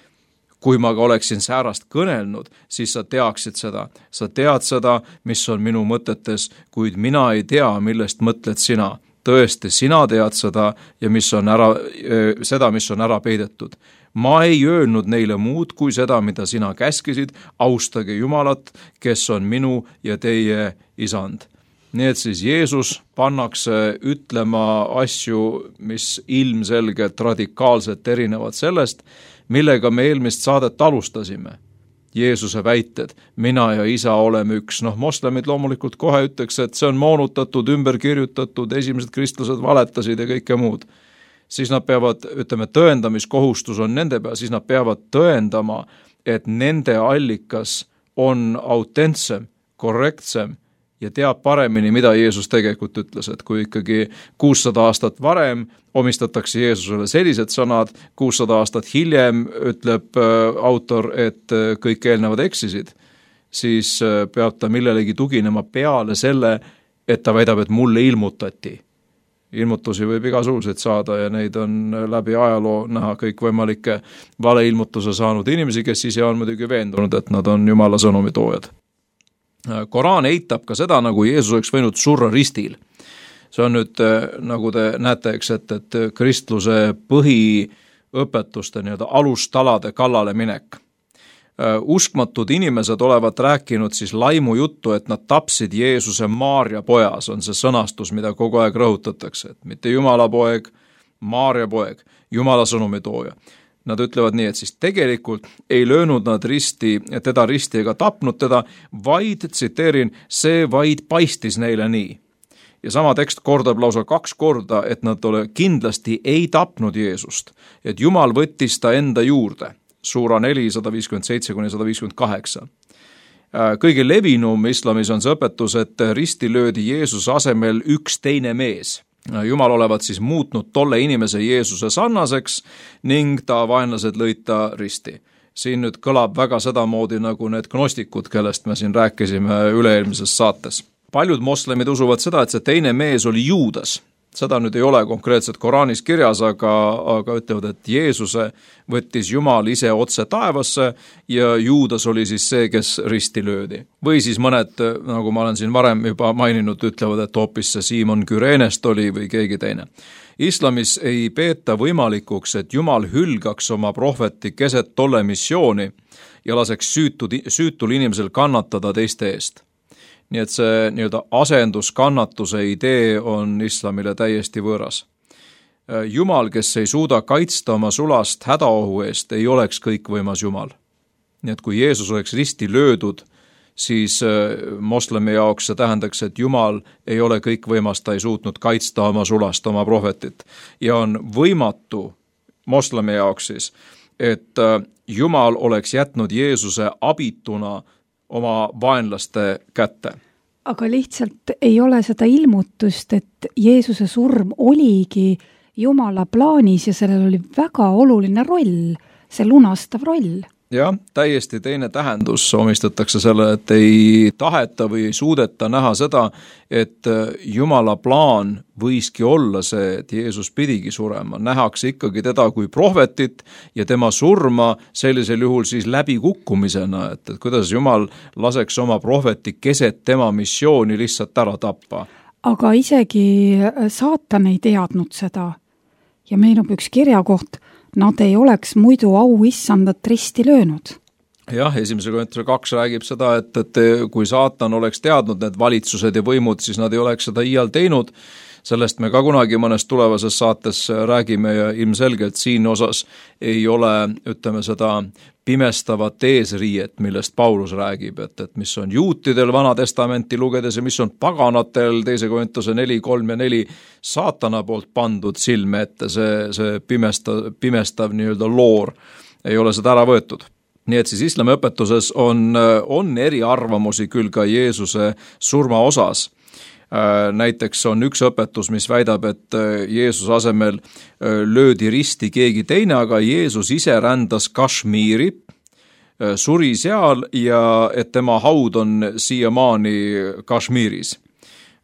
Kui ma ka oleksin säärast kõnelnud, siis sa teaksid seda. Sa tead seda, mis on minu mõtetes, kuid mina ei tea, millest mõtled sina. Tõesti, sina tead seda ja mis on ära peidetud. Ma ei öelnud neile muud kui seda, mida sina käskisid, austage Jumalat, kes on minu ja teie isand. Nii et siis Jeesus pannakse ütlema asju, mis ilmselgelt radikaalselt erinevad sellest, millega me eelmist saadet alustasime. Jeesuse väited, mina ja isa oleme üks. Moslemid loomulikult kohe ütleks, et see on moonutatud, ümber kirjutatud, esimesed kristlased valetasid ja kõike muud. Siis nad peavad, tõendamiskohustus on nende peal, siis nad peavad tõendama, et nende allikas on autentsem, korrektsem ja teab paremini, mida Jeesus tegelikult ütles, et kui ikkagi 600 aastat varem omistatakse Jeesusele sellised sõnad, 600 aastat hiljem ütleb autor, et kõik eelnevad eksisid, siis peab ta millelegi tuginema peale selle, et ta väidab, et mulle ilmutati. Ilmutusi võib igasuguseid saada ja neid on läbi ajaloo näha kõikvõimalikke valeilmutuse saanud inimesi, kes ise on muidugi veendunud, et nad on Jumala sõnumitoojad. Koraan eitab ka seda, nagu Jeesus oleks võinud surra ristil. See on nüüd, nagu te näete, et kristluse põhiõpetuste alustalade kallale minek. Uskmatud inimesed olevat rääkinud siis laimu juttu, et nad tapsid Jeesuse Maaria pojas, on see sõnastus, mida kogu aeg rõhutatakse, et mitte Jumala poeg, Maaria poeg, Jumala sõnumitooja. Nad ütlevad nii, et siis tegelikult ei löönud nad teda risti ega tapnud teda, vaid, tsiteerin, see vaid paistis neile nii. ja sama tekst kordab lausa 2 korda, et nad kindlasti ei tapnud Jeesust, et Jumal võttis ta enda juurde. Suura 4, 157-158. Kõige levinum islamis on see õpetus, et risti löödi Jeesuse asemel üks teine mees. Jumal olevat siis muutnud tolle inimese Jeesuse sarnaseks ning ta vaenlased lõid ta risti. Siin nüüd kõlab väga sedamoodi nagu need gnostikud, kellest me siin rääkisime üle-eelmises saates. Paljud moslemid usuvad seda, et see teine mees oli Juudas. Seda nüüd ei ole konkreetselt Koraanis kirjas, aga ütlevad, et Jeesuse võttis Jumal ise otse taevasse ja Juudas oli siis see, kes risti löödi. Või siis mõned, nagu ma olen siin varem juba maininud, ütlevad, et hoopis see Simon Kürenest oli või keegi teine. Islamis ei peeta võimalikuks, et Jumal hülgaks oma prohveti keset tolle missiooni ja laseks süütul inimesel kannatada teiste eest. Nii et see nii-öelda asenduskannatuse idee on islamile täiesti võõras. Jumal, kes ei suuda kaitsta oma sulast hädaohu eest, ei oleks kõikvõimas Jumal. Nii et kui Jeesus oleks risti löödud, siis moslemi jaoks see tähendaks, et Jumal ei ole kõikvõimas, ta ei suutnud kaitsta oma sulast, oma prohvetit. Ja on võimatu moslemi jaoks siis, et Jumal oleks jätnud Jeesuse abituna oma vaenlaste kätte. Aga lihtsalt ei ole seda ilmutust, et Jeesuse surm oligi Jumala plaanis ja sellel oli väga oluline roll, see lunastav roll. Jah, täiesti teine tähendus omistatakse selle, et ei taheta või ei suudeta näha seda, et Jumala plaan võiski olla see, et Jeesus pidigi surema. Nähakse ikkagi teda kui prohvetit ja tema surma sellisel juhul siis läbikukkumisena, et kuidas Jumal laseks oma prohveti keset tema missiooni lihtsalt ära tappa. Aga isegi saatan ei teadnud seda ja meenub üks kirjakoht, nad ei oleks muidu auissandat risti löönud. Jah, 1. Korintuse 2 räägib seda, et kui saatan oleks teadnud need valitsused ja võimud, siis nad ei oleks seda iial teinud. Sellest me ka kunagi mõnes tulevases saates räägime ja ilmselgelt siin osas ei ole, ütleme seda pimestavat eesriiet, millest Paulus räägib, et mis on juutidel Vana Testamenti lugedes ja mis on paganatel 2. Korintuse 4, 3 ja 4 saatana poolt pandud silme ette, see pimestav nii-öelda loor ei ole seda ära võetud. Nii et siis islami õpetuses on eriarvamusi küll ka Jeesuse surma osas. Näiteks on üks õpetus, mis väidab, et Jeesuse asemel löödi risti keegi teine, aga Jeesus ise rändas Kashmiri, suri seal ja et tema haud on siiamaani Kashmiris.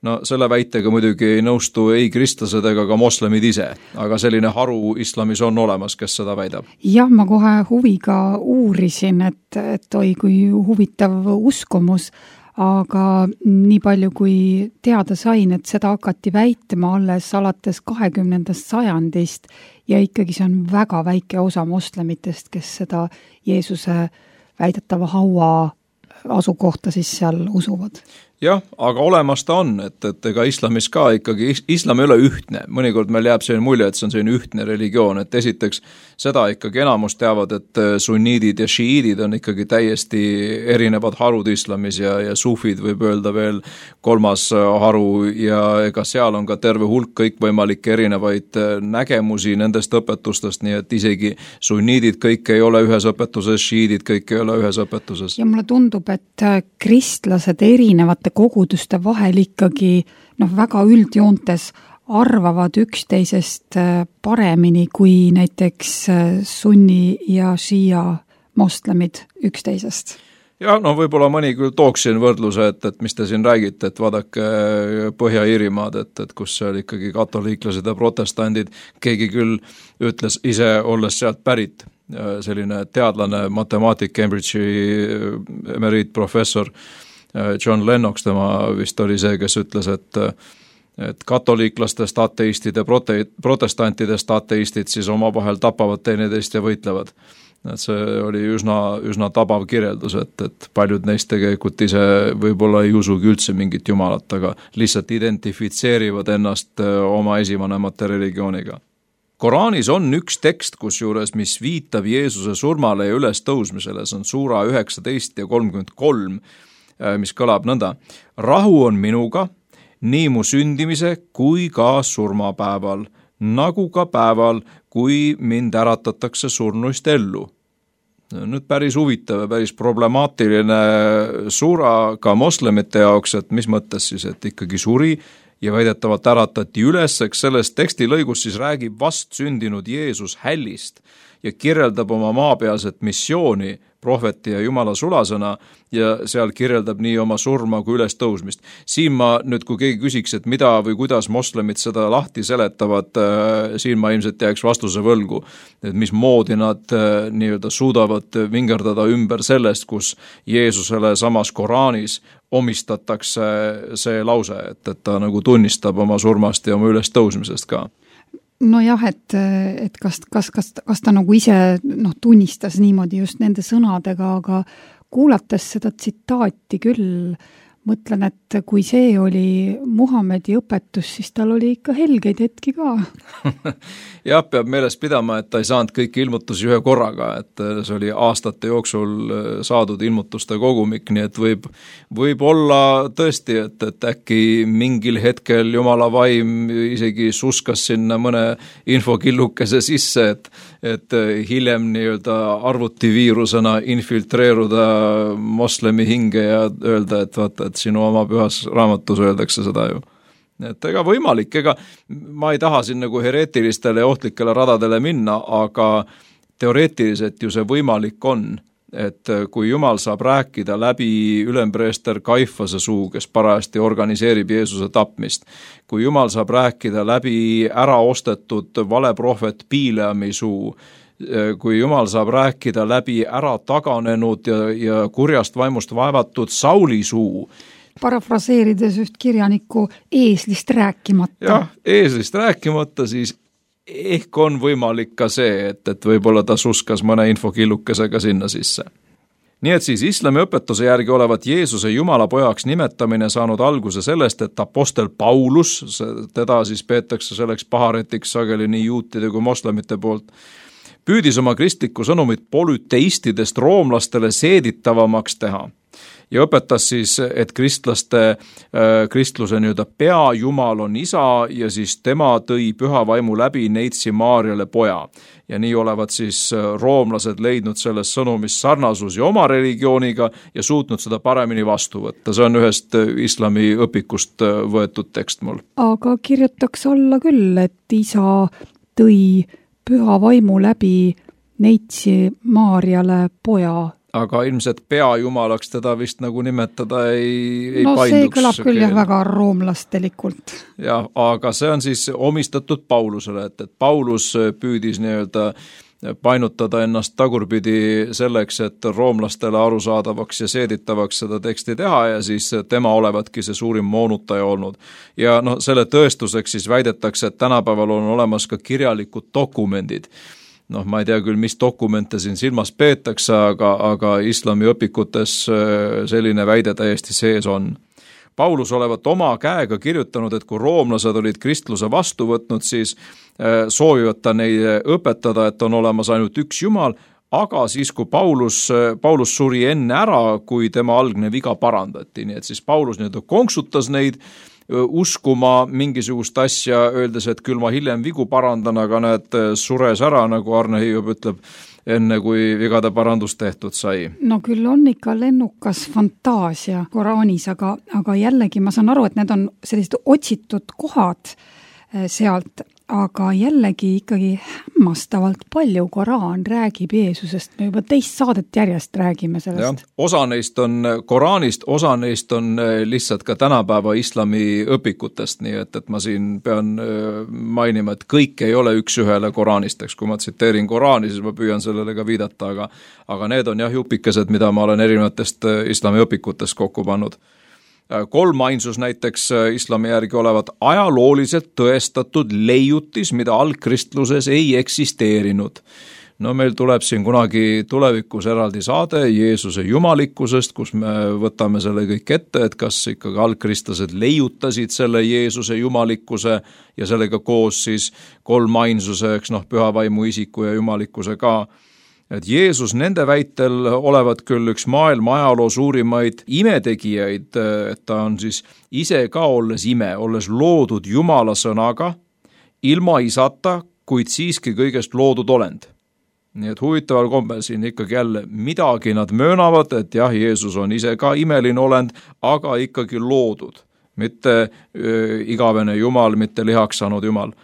No selle väitega muidugi ei nõustu ei kristlased ega ka moslemid ise, aga selline haru islamis on olemas, kes seda väidab. Jah, ma kohe huviga uurisin, et oi kui huvitav uskumus, aga nii palju kui teada sain, et seda hakati väitma alates 20. sajandist ja ikkagi see on väga väike osa moslemitest, kes seda Jeesuse väidetava haua asukohta siis seal usuvad. Jah, aga olemas ta on, et ega islamis ka ikkagi, islam ei ole ühtne. Mõnikord meil jääb selline mulje, et see on selline ühtne religioon, et esiteks seda ikkagi enamus teavad, et sunniidid ja šiiidid on ikkagi täiesti erinevad harud islamis ja sufid võib öelda veel kolmas haru ja ega seal on ka terve hulk kõikvõimalikke erinevaid nägemusi nendest õpetustest, nii et isegi sunniidid kõik ei ole ühes õpetuses, šiiidid kõik ei ole ühes õpetuses. Ja mulle tundub, et kristlased erinevate koguduste vahel ikkagi väga üldjoontes arvavad üksteisest paremini kui näiteks sunni ja šiia moslemid üksteisest. Ja võib-olla mõni küll tooks siin võrdluse, et mis te siin räägite, et vaadake Põhja-Iirimaad, et kus seal ikkagi katoliiklased ja protestandid, keegi küll ütles ise olles sealt pärit, selline teadlane, matemaatik, Cambridge'i emeriitprofessor John Lennox, tema vist oli see, kes ütles, et katoliiklastest ateistid ja protestantidest ateistid siis omavahel tapavad teineteist ja võitlevad. Et see oli üsna tabav kirjeldus, et paljud neist tegelikult ise võib-olla ei usugi üldse mingit jumalat, aga lihtsalt identifitseerivad ennast oma esivanemate religiooniga. Koraanis on üks tekst, kusjuures, mis viitab Jeesuse surmale ja üles tõusmisele, see on suura 19 ja 33, mis kõlab nõnda. Rahu on minuga, nii mu sündimise kui ka surmapäeval, nagu ka päeval, kui mind äratatakse surnuist ellu. Nüüd päris huvitav ja päris problemaatiline sura ka moslemite jaoks, et mis mõttes siis, et ikkagi suri ja väidetavalt äratati üles, eks selles tekstilõigus siis räägib vast sündinud Jeesus hällist ja kirjeldab oma maapealset missiooni prohveti ja Jumala sulasõna ja seal kirjeldab nii oma surma kui üles tõusmist. Siin ma nüüd, kui keegi küsiks, et mida või kuidas moslemid seda lahti seletavad, siin ma ilmselt jääks vastuse võlgu, et mis moodi nad nii-öelda suudavad vingerdada ümber sellest, kus Jeesusele samas Koraanis omistatakse see lause, et ta nagu tunnistab oma surmast ja oma üles tõusmisest ka. Nojah, et kas ta nagu ise tunnistas niimoodi just nende sõnadega, aga kuulates seda tsitaati küll, mõtlen, et kui see oli Muhamedi õpetus, siis tal oli ikka helgeid hetki ka. Jah, peab meeles pidama, et ta ei saanud kõiki ilmutusi ühe korraga, et see oli aastate jooksul saadud ilmutuste kogumik, nii et võib olla tõesti, et äkki mingil hetkel Jumala vaim isegi suskas sinna mõne infokillukese sisse, et hiljem nii-öelda arvutiviirusena infiltreeruda moslemi hinge ja öelda, et vaata, et sinu oma pühas raamatus öeldakse seda ju. Et ega võimalik, ma ei taha siin nagu hereetilistele ja ohtlikele radadele minna, aga teoreetiliselt ju see võimalik on, et kui Jumal saab rääkida läbi ülempreester Kaifase suu, kes parajasti organiseerib Jeesuse tapmist, kui Jumal saab rääkida läbi äraostetud valeprohvet Bileami suu, kui Jumal saab rääkida läbi ära taganenud ja kurjast vaimust vaevatud Sauli suu. Parafraseerides üht kirjaniku eeslist rääkimata. Jah, eeslist rääkimata, siis ehk on võimalik ka see, et võib-olla ta suskas mõne infokillukesega sinna sisse. Nii et siis islami õpetuse järgi olevat Jeesuse Jumala pojaks nimetamine saanud alguse sellest, et apostel Paulus, teda siis peetakse selleks paharetiks sageli nii juutide kui moslemite poolt, püüdis oma kristlikku sõnumit polüteistidest roomlastele seeditavamaks teha ja õpetas siis, et kristluse nii-öelda peajumal on isa ja siis tema tõi püha vaimu läbi neitsi Maarjale poja. Ja nii olevat siis roomlased leidnud selles sõnumis sarnasusi oma religiooniga ja suutnud seda paremini vastu võtta. See on ühest islami õpikust võetud tekst mul. Aga kirjutaks alla küll, et isa tõi püha vaimu läbi neitsi Maarjale poja. Aga ilmselt peajumalaks teda vist nagu nimetada ei no painduks. See kõlab küll jah väga roomlastelikult. Jah, aga see on siis omistatud Paulusele, et Paulus püüdis nii-öelda painutada ennast tagurpidi selleks, et roomlastele arusaadavaks ja seeditavaks seda teksti teha ja siis tema olevatki see suurim moonutaja olnud. Ja selle tõestuseks siis väidetakse, et tänapäeval on olemas ka kirjalikud dokumendid. Ma ei tea küll, mis dokumente siin silmas peetakse, aga islami õpikutes selline väide täiesti sees on. Paulus olevat oma käega kirjutanud, et kui roomlased olid kristluse vastu võtnud, siis soovivad ta neid õpetada, et on olemas ainult üks Jumal, aga siis, kui Paulus suri enne ära, kui tema algne viga parandati, nii et siis Paulus nii-öelda konksutas neid, uskuma mingisugust asja, öeldes, et küll ma hiljem vigu parandan, aga näed, sures ära, nagu Arne Hiiub ütleb, enne kui vigade parandus tehtud sai. No küll on ikka lennukas fantaasia Koraanis, aga jällegi ma saan aru, et need on sellised otsitud kohad sealt, aga jällegi ikkagi hämmastavalt palju Koraan räägib Jeesusest. Me juba teist saadet järjest räägime sellest. Ja, osa neist on Koraanist, osa neist on lihtsalt ka tänapäeva islami õpikutest, nii et ma siin pean mainima, et kõik ei ole üks ühele Koraanist, eks kui ma tsiteerin Koraani, siis ma püüan sellele ka viidata, aga need on jah jupikesed, mida ma olen erinevatest islami õpikutest kokku pannud. Kolmainsus näiteks islami järgi olevat ajalooliselt tõestatud leiutis, mida algkristluses ei eksisteerinud. Meil tuleb siin kunagi tulevikus eraldi saade Jeesuse jumalikkusest, kus me võtame selle kõik ette, et kas ikkagi algkristlased leiutasid selle Jeesuse jumalikkuse ja sellega koos siis kolmainsuse, püha vaimu isiku ja jumalikkuse ka. Et Jeesus nende väitel olevat küll üks maailma ajaloo suurimaid imetegijaid, et ta on siis ise ka olles ime, olles loodud Jumala sõnaga, ilma isata, kuid siiski kõigest loodud olend. Nii et huvitaval kombel siin ikkagi jälle midagi nad möönavad, et jah, Jeesus on ise ka imeline olend, aga ikkagi loodud, mitte igavene Jumal, mitte lihaks saanud Jumal.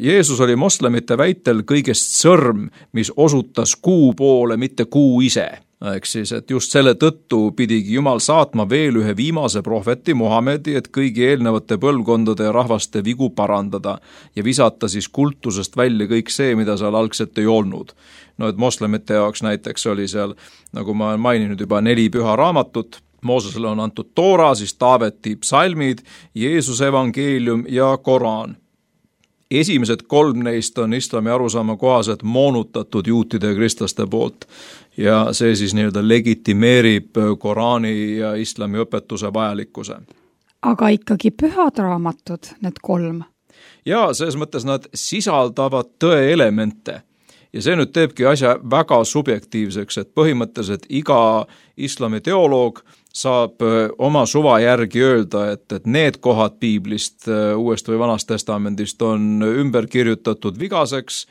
Jeesus oli moslemite väitel kõigest sõrm, mis osutas kuu poole, mitte kuu ise. Ehk siis, et just selle tõttu pidigi Jumal saatma veel ühe viimase prohveti Muhamedi, et kõigi eelnevate põlvkondade ja rahvaste vigu parandada ja visata siis kultusest välja kõik see, mida seal algselt ei olnud. No et moslemite jaoks näiteks oli seal, nagu ma olen maininud juba, 4 püha raamatut, Moosesele on antud Toora, siis Taaveti psalmid, Jeesuse evangeelium ja Koraan. Esimesed 3 neist on islami arusaama kohaselt moonutatud juutide ja kristlaste poolt ja see siis nii-öelda legitimeerib Koraani ja islami õpetuse vajalikkuse. Aga ikkagi pühad raamatud, need 3? Ja selles mõttes nad sisaldavad tõe elemente ja see nüüd teebki asja väga subjektiivseks, et põhimõtteliselt iga islami teoloog saab oma suva järgi öelda, et need kohad piiblist, Uuest või Vanast testamendist on ümber kirjutatud vigaseks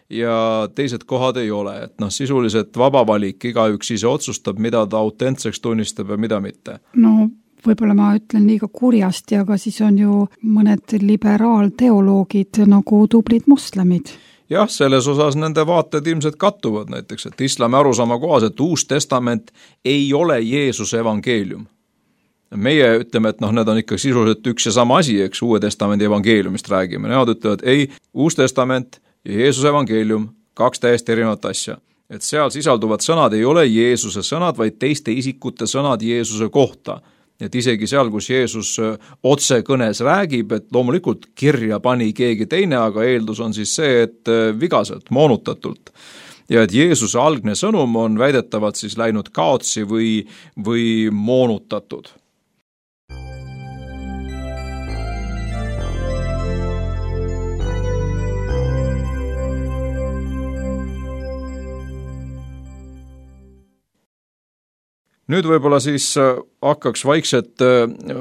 ja teised kohad ei ole. Et sisuliselt vaba valik, igaüks ise otsustab, mida ta autentseks tunnistab ja mida mitte. No võib-olla ma ütlen liiga kurjasti, aga siis on ju mõned liberaalteoloogid nagu tublid moslemid. Jah, selles osas nende vaated ilmselt kattuvad näiteks, et islami arusaama kohaselt Uus testament ei ole Jeesuse evangeelium. Meie ütleme, et need on ikka sisuliselt üks ja sama asi, eks Uue testamendi evangeeliumist räägime. Nemad ütlevad, ei, Uus testament ja Jeesuse evangeelium, 2 täiesti erinevat asja. Et seal sisalduvad sõnad ei ole Jeesuse sõnad, vaid teiste isikute sõnad Jeesuse kohta. Et isegi seal, kus Jeesus otse kõnes räägib, et loomulikult kirja pani keegi teine, aga eeldus on siis see, et vigaselt, moonutatult. Ja et Jeesuse algne sõnum on väidetavalt siis läinud kaotsi või moonutatud. Nüüd võib-olla siis hakkaks vaikselt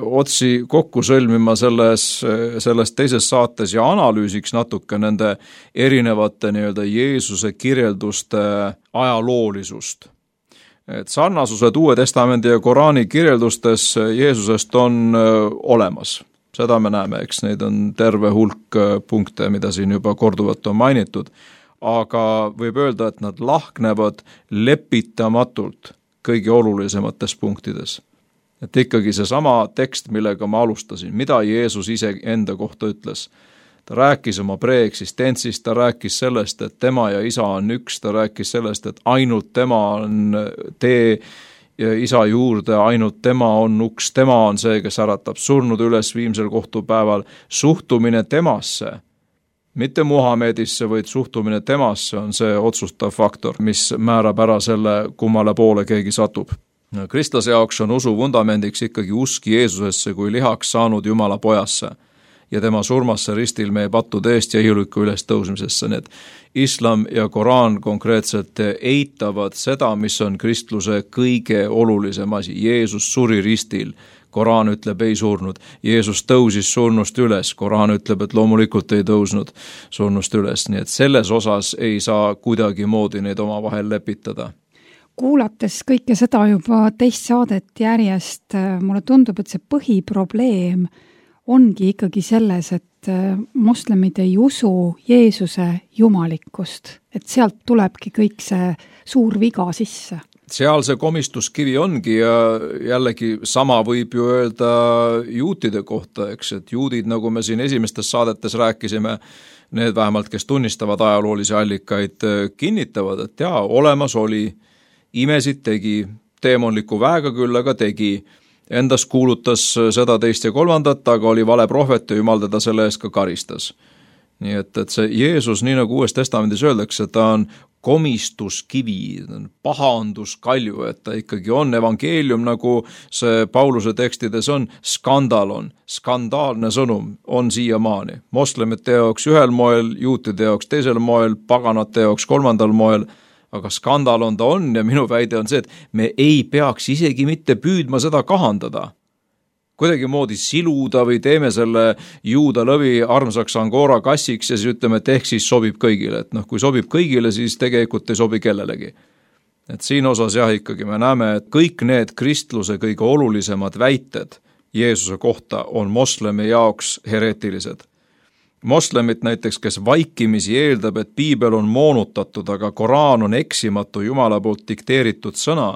otsi kokku sõlmima selles teises saates ja analüüsiks natuke nende erinevate nii-öelda Jeesuse kirjelduste ajaloolisust. Et sarnasused Uue testamendi ja Koraani kirjeldustes Jeesusest on olemas. Seda me näeme, eks neid on terve hulk punkte, mida siin juba korduvalt on mainitud, aga võib öelda, et nad lahknevad lepitamatult kõige olulisemates punktides. Et ikkagi seesama tekst, millega ma alustasin, mida Jeesus ise enda kohta ütles. Ta rääkis oma preeksistentsist, ta rääkis sellest, et tema ja isa on üks, ta rääkis sellest, et ainult tema on tee isa juurde, ainult tema on uks, tema on see, kes äratab surnud üles viimsel kohtupäeval, suhtumine temasse, mitte Muhamedisse, vaid suhtumine temasse on see otsustav faktor, mis määrab ära selle, kummale poole keegi satub. Kristlase jaoks on usu vundamendiks ikkagi usk Jeesusesse kui lihaks saanud Jumala pojasse ja tema surmasse ristil meie pattude eest ja ihuliku üles tõusmisesse. Need islam ja Koraan konkreetselt eitavad seda, mis on kristluse kõige olulisem asi. Jeesus suri ristil. Koraan ütleb, ei surnud. Jeesus tõusis surnust üles. Koraan ütleb, et loomulikult ei tõusnud surnust üles. Nii et selles osas ei saa kuidagi moodi neid omavahel lepitada. Kuulates kõike seda juba teist saadet järjest, mulle tundub, et see põhiprobleem ongi ikkagi selles, et moslemid ei usu Jeesuse jumalikkust. Et sealt tulebki kõik see suur viga sisse. Seal see komistuskivi ongi ja jällegi sama võib ju öelda juutide kohta, eks, et juudid, nagu me siin esimestes saadetes rääkisime, need vähemalt, kes tunnistavad ajaloolisi allikaid, kinnitavad, et jaa, olemas oli, imesid tegi, teemonliku väega küll, aga tegi, endas kuulutas seda, teist ja kolmandat, aga oli vale prohvet ja Jumal teda selle eest ka karistas. Nii et see Jeesus, nii nagu Uues testamendis öeldakse, ta on komistuskivi, pahanduskalju, et ta ikkagi on evangeelium, nagu see Pauluse tekstides on, skandaalne sõnum on siiamaani. Moslemite jaoks ühel moel, juutide jaoks teisel moel, paganate jaoks kolmandal moel, aga skandal on ta on ja minu väide on see, et me ei peaks isegi mitte püüdma seda kahandada. Kuidagimoodi siluda või teeme selle juuda lõvi armsaks Angora kassiks ja siis ütleme, et ehk siis sobib kõigile. Et kui sobib kõigile, siis tegelikult ei sobi kellelegi. Et siin osas jah, ikkagi me näeme, et kõik need kristluse kõige olulisemad väited Jeesuse kohta on moslemi jaoks hereetilised. Moslemit näiteks, kes vaikimisi eeldab, et piibel on moonutatud, aga Koraan on eksimatu Jumala poolt dikteeritud sõna,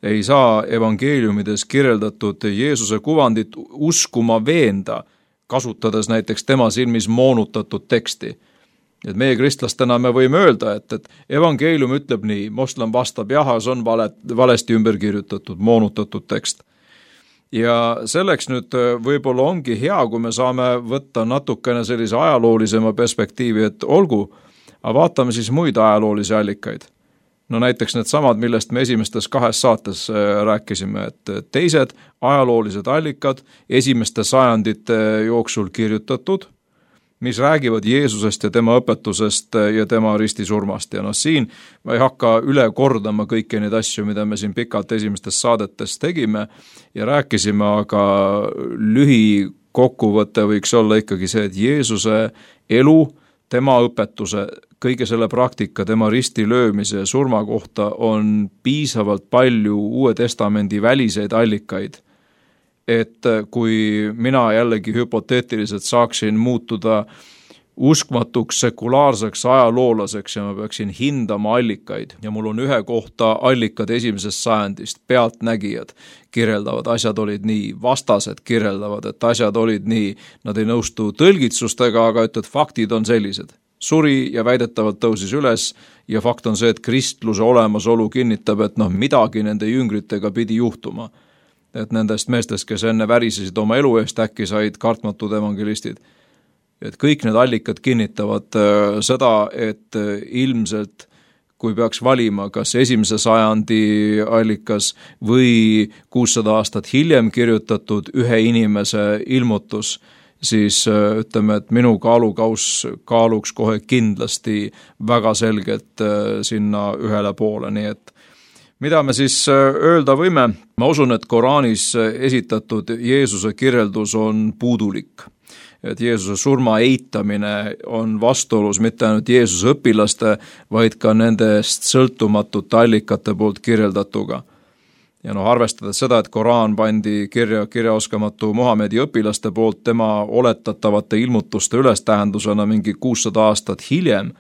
ei saa evangeeliumides kirjeldatud Jeesuse kuvandit uskuma veenda, kasutades näiteks tema silmis moonutatud teksti. Et meie kristlastena me võime öelda, et evangeelium ütleb nii, moslem vastab jah, see on valesti ümber kirjutatud, moonutatud tekst. Ja selleks nüüd võib-olla ongi hea, kui me saame võtta natukene sellise ajaloolisema perspektiivi, et olgu, aga vaatame siis muid ajaloolisi allikaid. No näiteks need samad, millest me esimestes 2 saates rääkisime, et teised ajaloolised allikad esimeste sajandite jooksul kirjutatud, mis räägivad Jeesusest ja tema õpetusest ja tema ristisurmast. Ja siin ma ei hakka üle kordama kõiki neid asju, mida me siin pikalt esimestes saadetes tegime ja rääkisime, aga lühikokkuvõte võiks olla ikkagi see, et Jeesuse elu, tema õpetuse, kõige selle praktika, tema risti löömise ja surma kohta on piisavalt palju Uue Testamendi väliseid allikaid, et kui mina jällegi hüpoteetiliselt saaksin muutuda uskmatuks sekulaarseks ajaloolaseks ja ma peaksin hindama allikaid ja mul on ühe kohta allikad 1. sajandist, pealtnägijad kirjeldavad, asjad olid nii, vastased kirjeldavad, et asjad olid nii, nad ei nõustu tõlgitsustega, aga et faktid on sellised. Suri ja väidetavalt tõusis üles ja fakt on see, et kristluse olemasolu kinnitab, et midagi nende jüngritega pidi juhtuma. Et nendest meestest, kes enne värisesid oma elu eest, äkki said kartmatud evangelistid. Et kõik need allikad kinnitavad seda, et ilmselt kui peaks valima kas 1. sajandi allikas või 600 aastat hiljem kirjutatud ühe inimese ilmutus, siis ütleme, et minu kaaluks kohe kindlasti väga selgelt sinna ühele poole, nii et mida me siis öelda võime? Ma usun, et Koraanis esitatud Jeesuse kirjeldus on puudulik. Et Jeesuse surma eitamine on vastuolus mitte ainult Jeesuse õpilaste, vaid ka nendest sõltumatute allikate poolt kirjeldatuga. Ja arvestades seda, et Koraan pandi kirjaoskamatu Muhamedi õpilaste poolt tema oletatavate ilmutuste ülestähendusena mingi 600 aastat hiljem,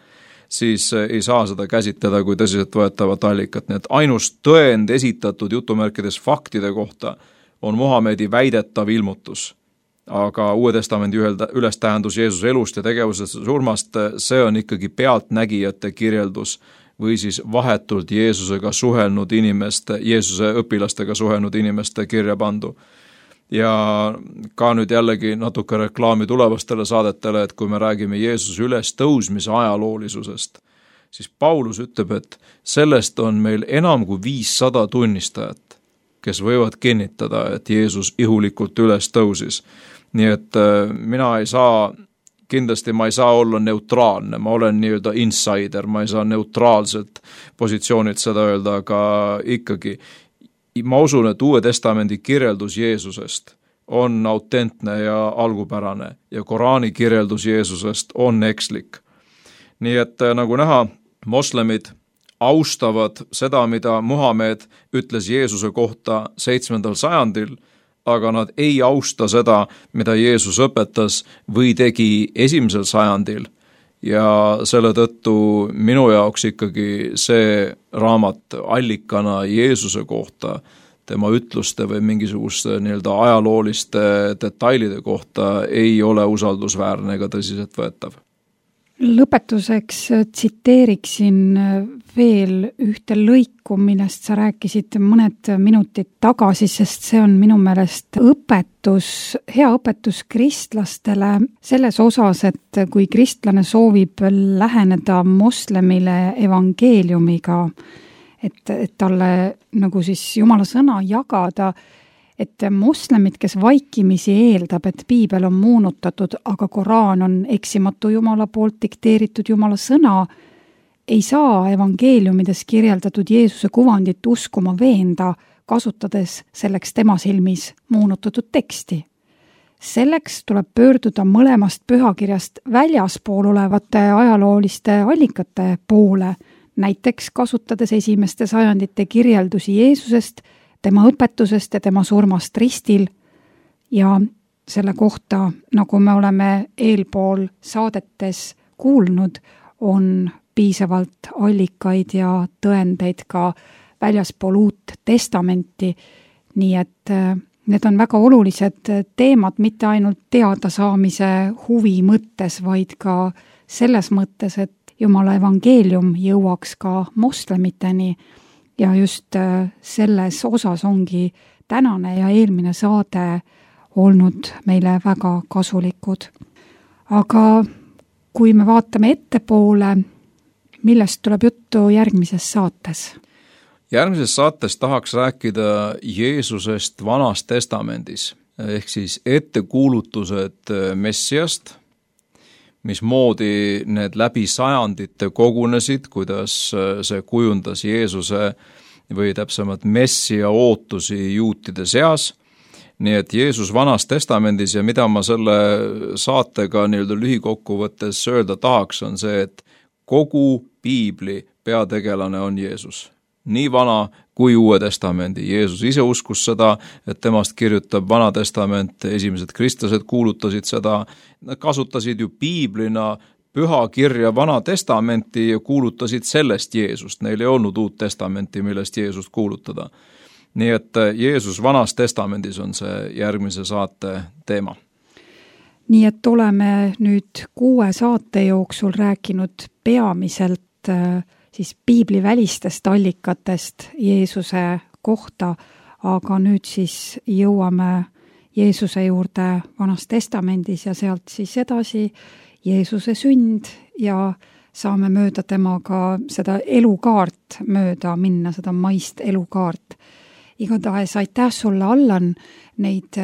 siis ei saa seda käsitleda kui tõsiselt võetavat allikat. Nii et ainus tõend esitatud jutumärkides faktide kohta on Muhamedi väidetav ilmutus. Aga Uue Testamendi ülestähendus Jeesuse elust ja tegevusest surmast, see on ikkagi pealtnägijate kirjeldus või siis vahetult Jeesusega suhelnud inimeste, Jeesuse õpilastega suhelnud inimeste kirja pandu. Ja ka nüüd jällegi natuke reklaami tulevastele saadetele, et kui me räägime Jeesuse ülestõusmise ajaloolisusest, siis Paulus ütleb, et sellest on meil enam kui 500 tunnistajat, kes võivad kinnitada, et Jeesus ihulikult ülestõusis. Nii et kindlasti ma ei saa olla neutraalne, ma olen nii-öelda insider, ma ei saa neutraalselt positsioonilt seda öelda, aga ikkagi ma usun, et Uue Testamendi kirjeldus Jeesusest on autentne ja algupärane ja Koraani kirjeldus Jeesusest on ekslik. Nii et nagu näha, moslemid austavad seda, mida Muhamed ütles Jeesuse kohta 7. sajandil, aga nad ei austa seda, mida Jeesus õpetas või tegi 1. sajandil. Ja selle tõttu minu jaoks ikkagi see raamat allikana Jeesuse kohta, tema ütluste või mingisuguste nii-öelda ajalooliste detailide kohta ei ole usaldusväärne ega tõsiselt võetav. Lõpetuseks tsiteeriksin veel ühte lõiku, millest sa rääkisid mõned minutid tagasi, sest see on minu meelest hea õpetus kristlastele selles osas, et kui kristlane soovib läheneda moslemile evangeeliumiga, et talle nagu siis Jumala sõna jagada, et moslemid, kes vaikimisi eeldab, et piibel on moonutatud, aga Koraan on eksimatu Jumala poolt dikteeritud Jumala sõna, ei saa evangeeliumides kirjeldatud Jeesuse kuvandit uskuma veenda, kasutades selleks tema silmis moonutatud teksti. Selleks tuleb pöörduda mõlemast pühakirjast väljaspool olevate ajalooliste allikate poole, näiteks kasutades esimeste sajandite kirjeldusi Jeesusest, tema õpetusest ja tema surmast ristil ja selle kohta, nagu me oleme eelpool saadetes kuulnud, on piisavalt allikaid ja tõendeid ka väljaspool Uut Testamenti, nii et need on väga olulised teemad mitte ainult teadasaamise huvi mõttes, vaid ka selles mõttes, et Jumala evangeelium jõuaks ka moslemiteni ja just selles osas ongi tänane ja eelmine saade olnud meile väga kasulikud. Aga kui me vaatame ettepoole, millest tuleb juttu järgmises saates? Järgmises saates tahaks rääkida Jeesusest Vanas Testamendis, ehk siis ettekuulutused Messiast, mismoodi need läbi sajandite kogunesid, kuidas see kujundas Jeesuse või täpsemalt Messia ootusi juutide seas. Nii et Jeesus Vanas Testamendis ja mida ma selle saatega lühikokkuvõttes öelda tahaks, on see, et kogu piibli peategelane on Jeesus. Nii Vana kui Uue Testamendi. Jeesus ise uskus seda, et temast kirjutab Vana Testament, esimesed kristlased kuulutasid seda, nad kasutasid ju piiblina pühakirja Vana Testamenti ja kuulutasid sellest Jeesust. Neil ei olnud Uut Testamenti, millest Jeesust kuulutada. Nii et Jeesus Vanas Testamendis on see järgmise saate teema. Nii et oleme nüüd 6 saate jooksul rääkinud peamiselt siis piiblivälistest allikatest Jeesuse kohta, aga nüüd siis jõuame Jeesuse juurde Vanas Testamendis ja sealt siis edasi Jeesuse sünd ja saame mööda temaga seda elukaart mööda minna, seda maist elukaart. Igatahes aitäh sulle, Allan, neid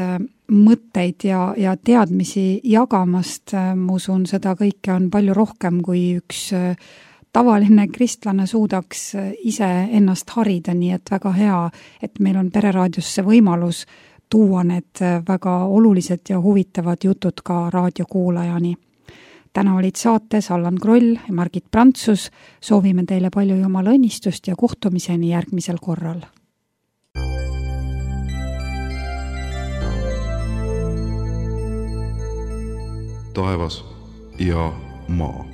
mõtteid ja teadmisi jagamast. Ma usun, seda kõike on palju rohkem, kui üks tavaline kristlane suudaks ise ennast harida, nii et väga hea, et meil on Pereraadiosse võimalus tuua need väga olulised ja huvitavad jutud ka raadiokuulajani. Täna olid saates Allan Kroll ja Margit Prantsus. Soovime teile palju Jumala õnnistust ja kohtumiseni järgmisel korral. Taevas ja maa.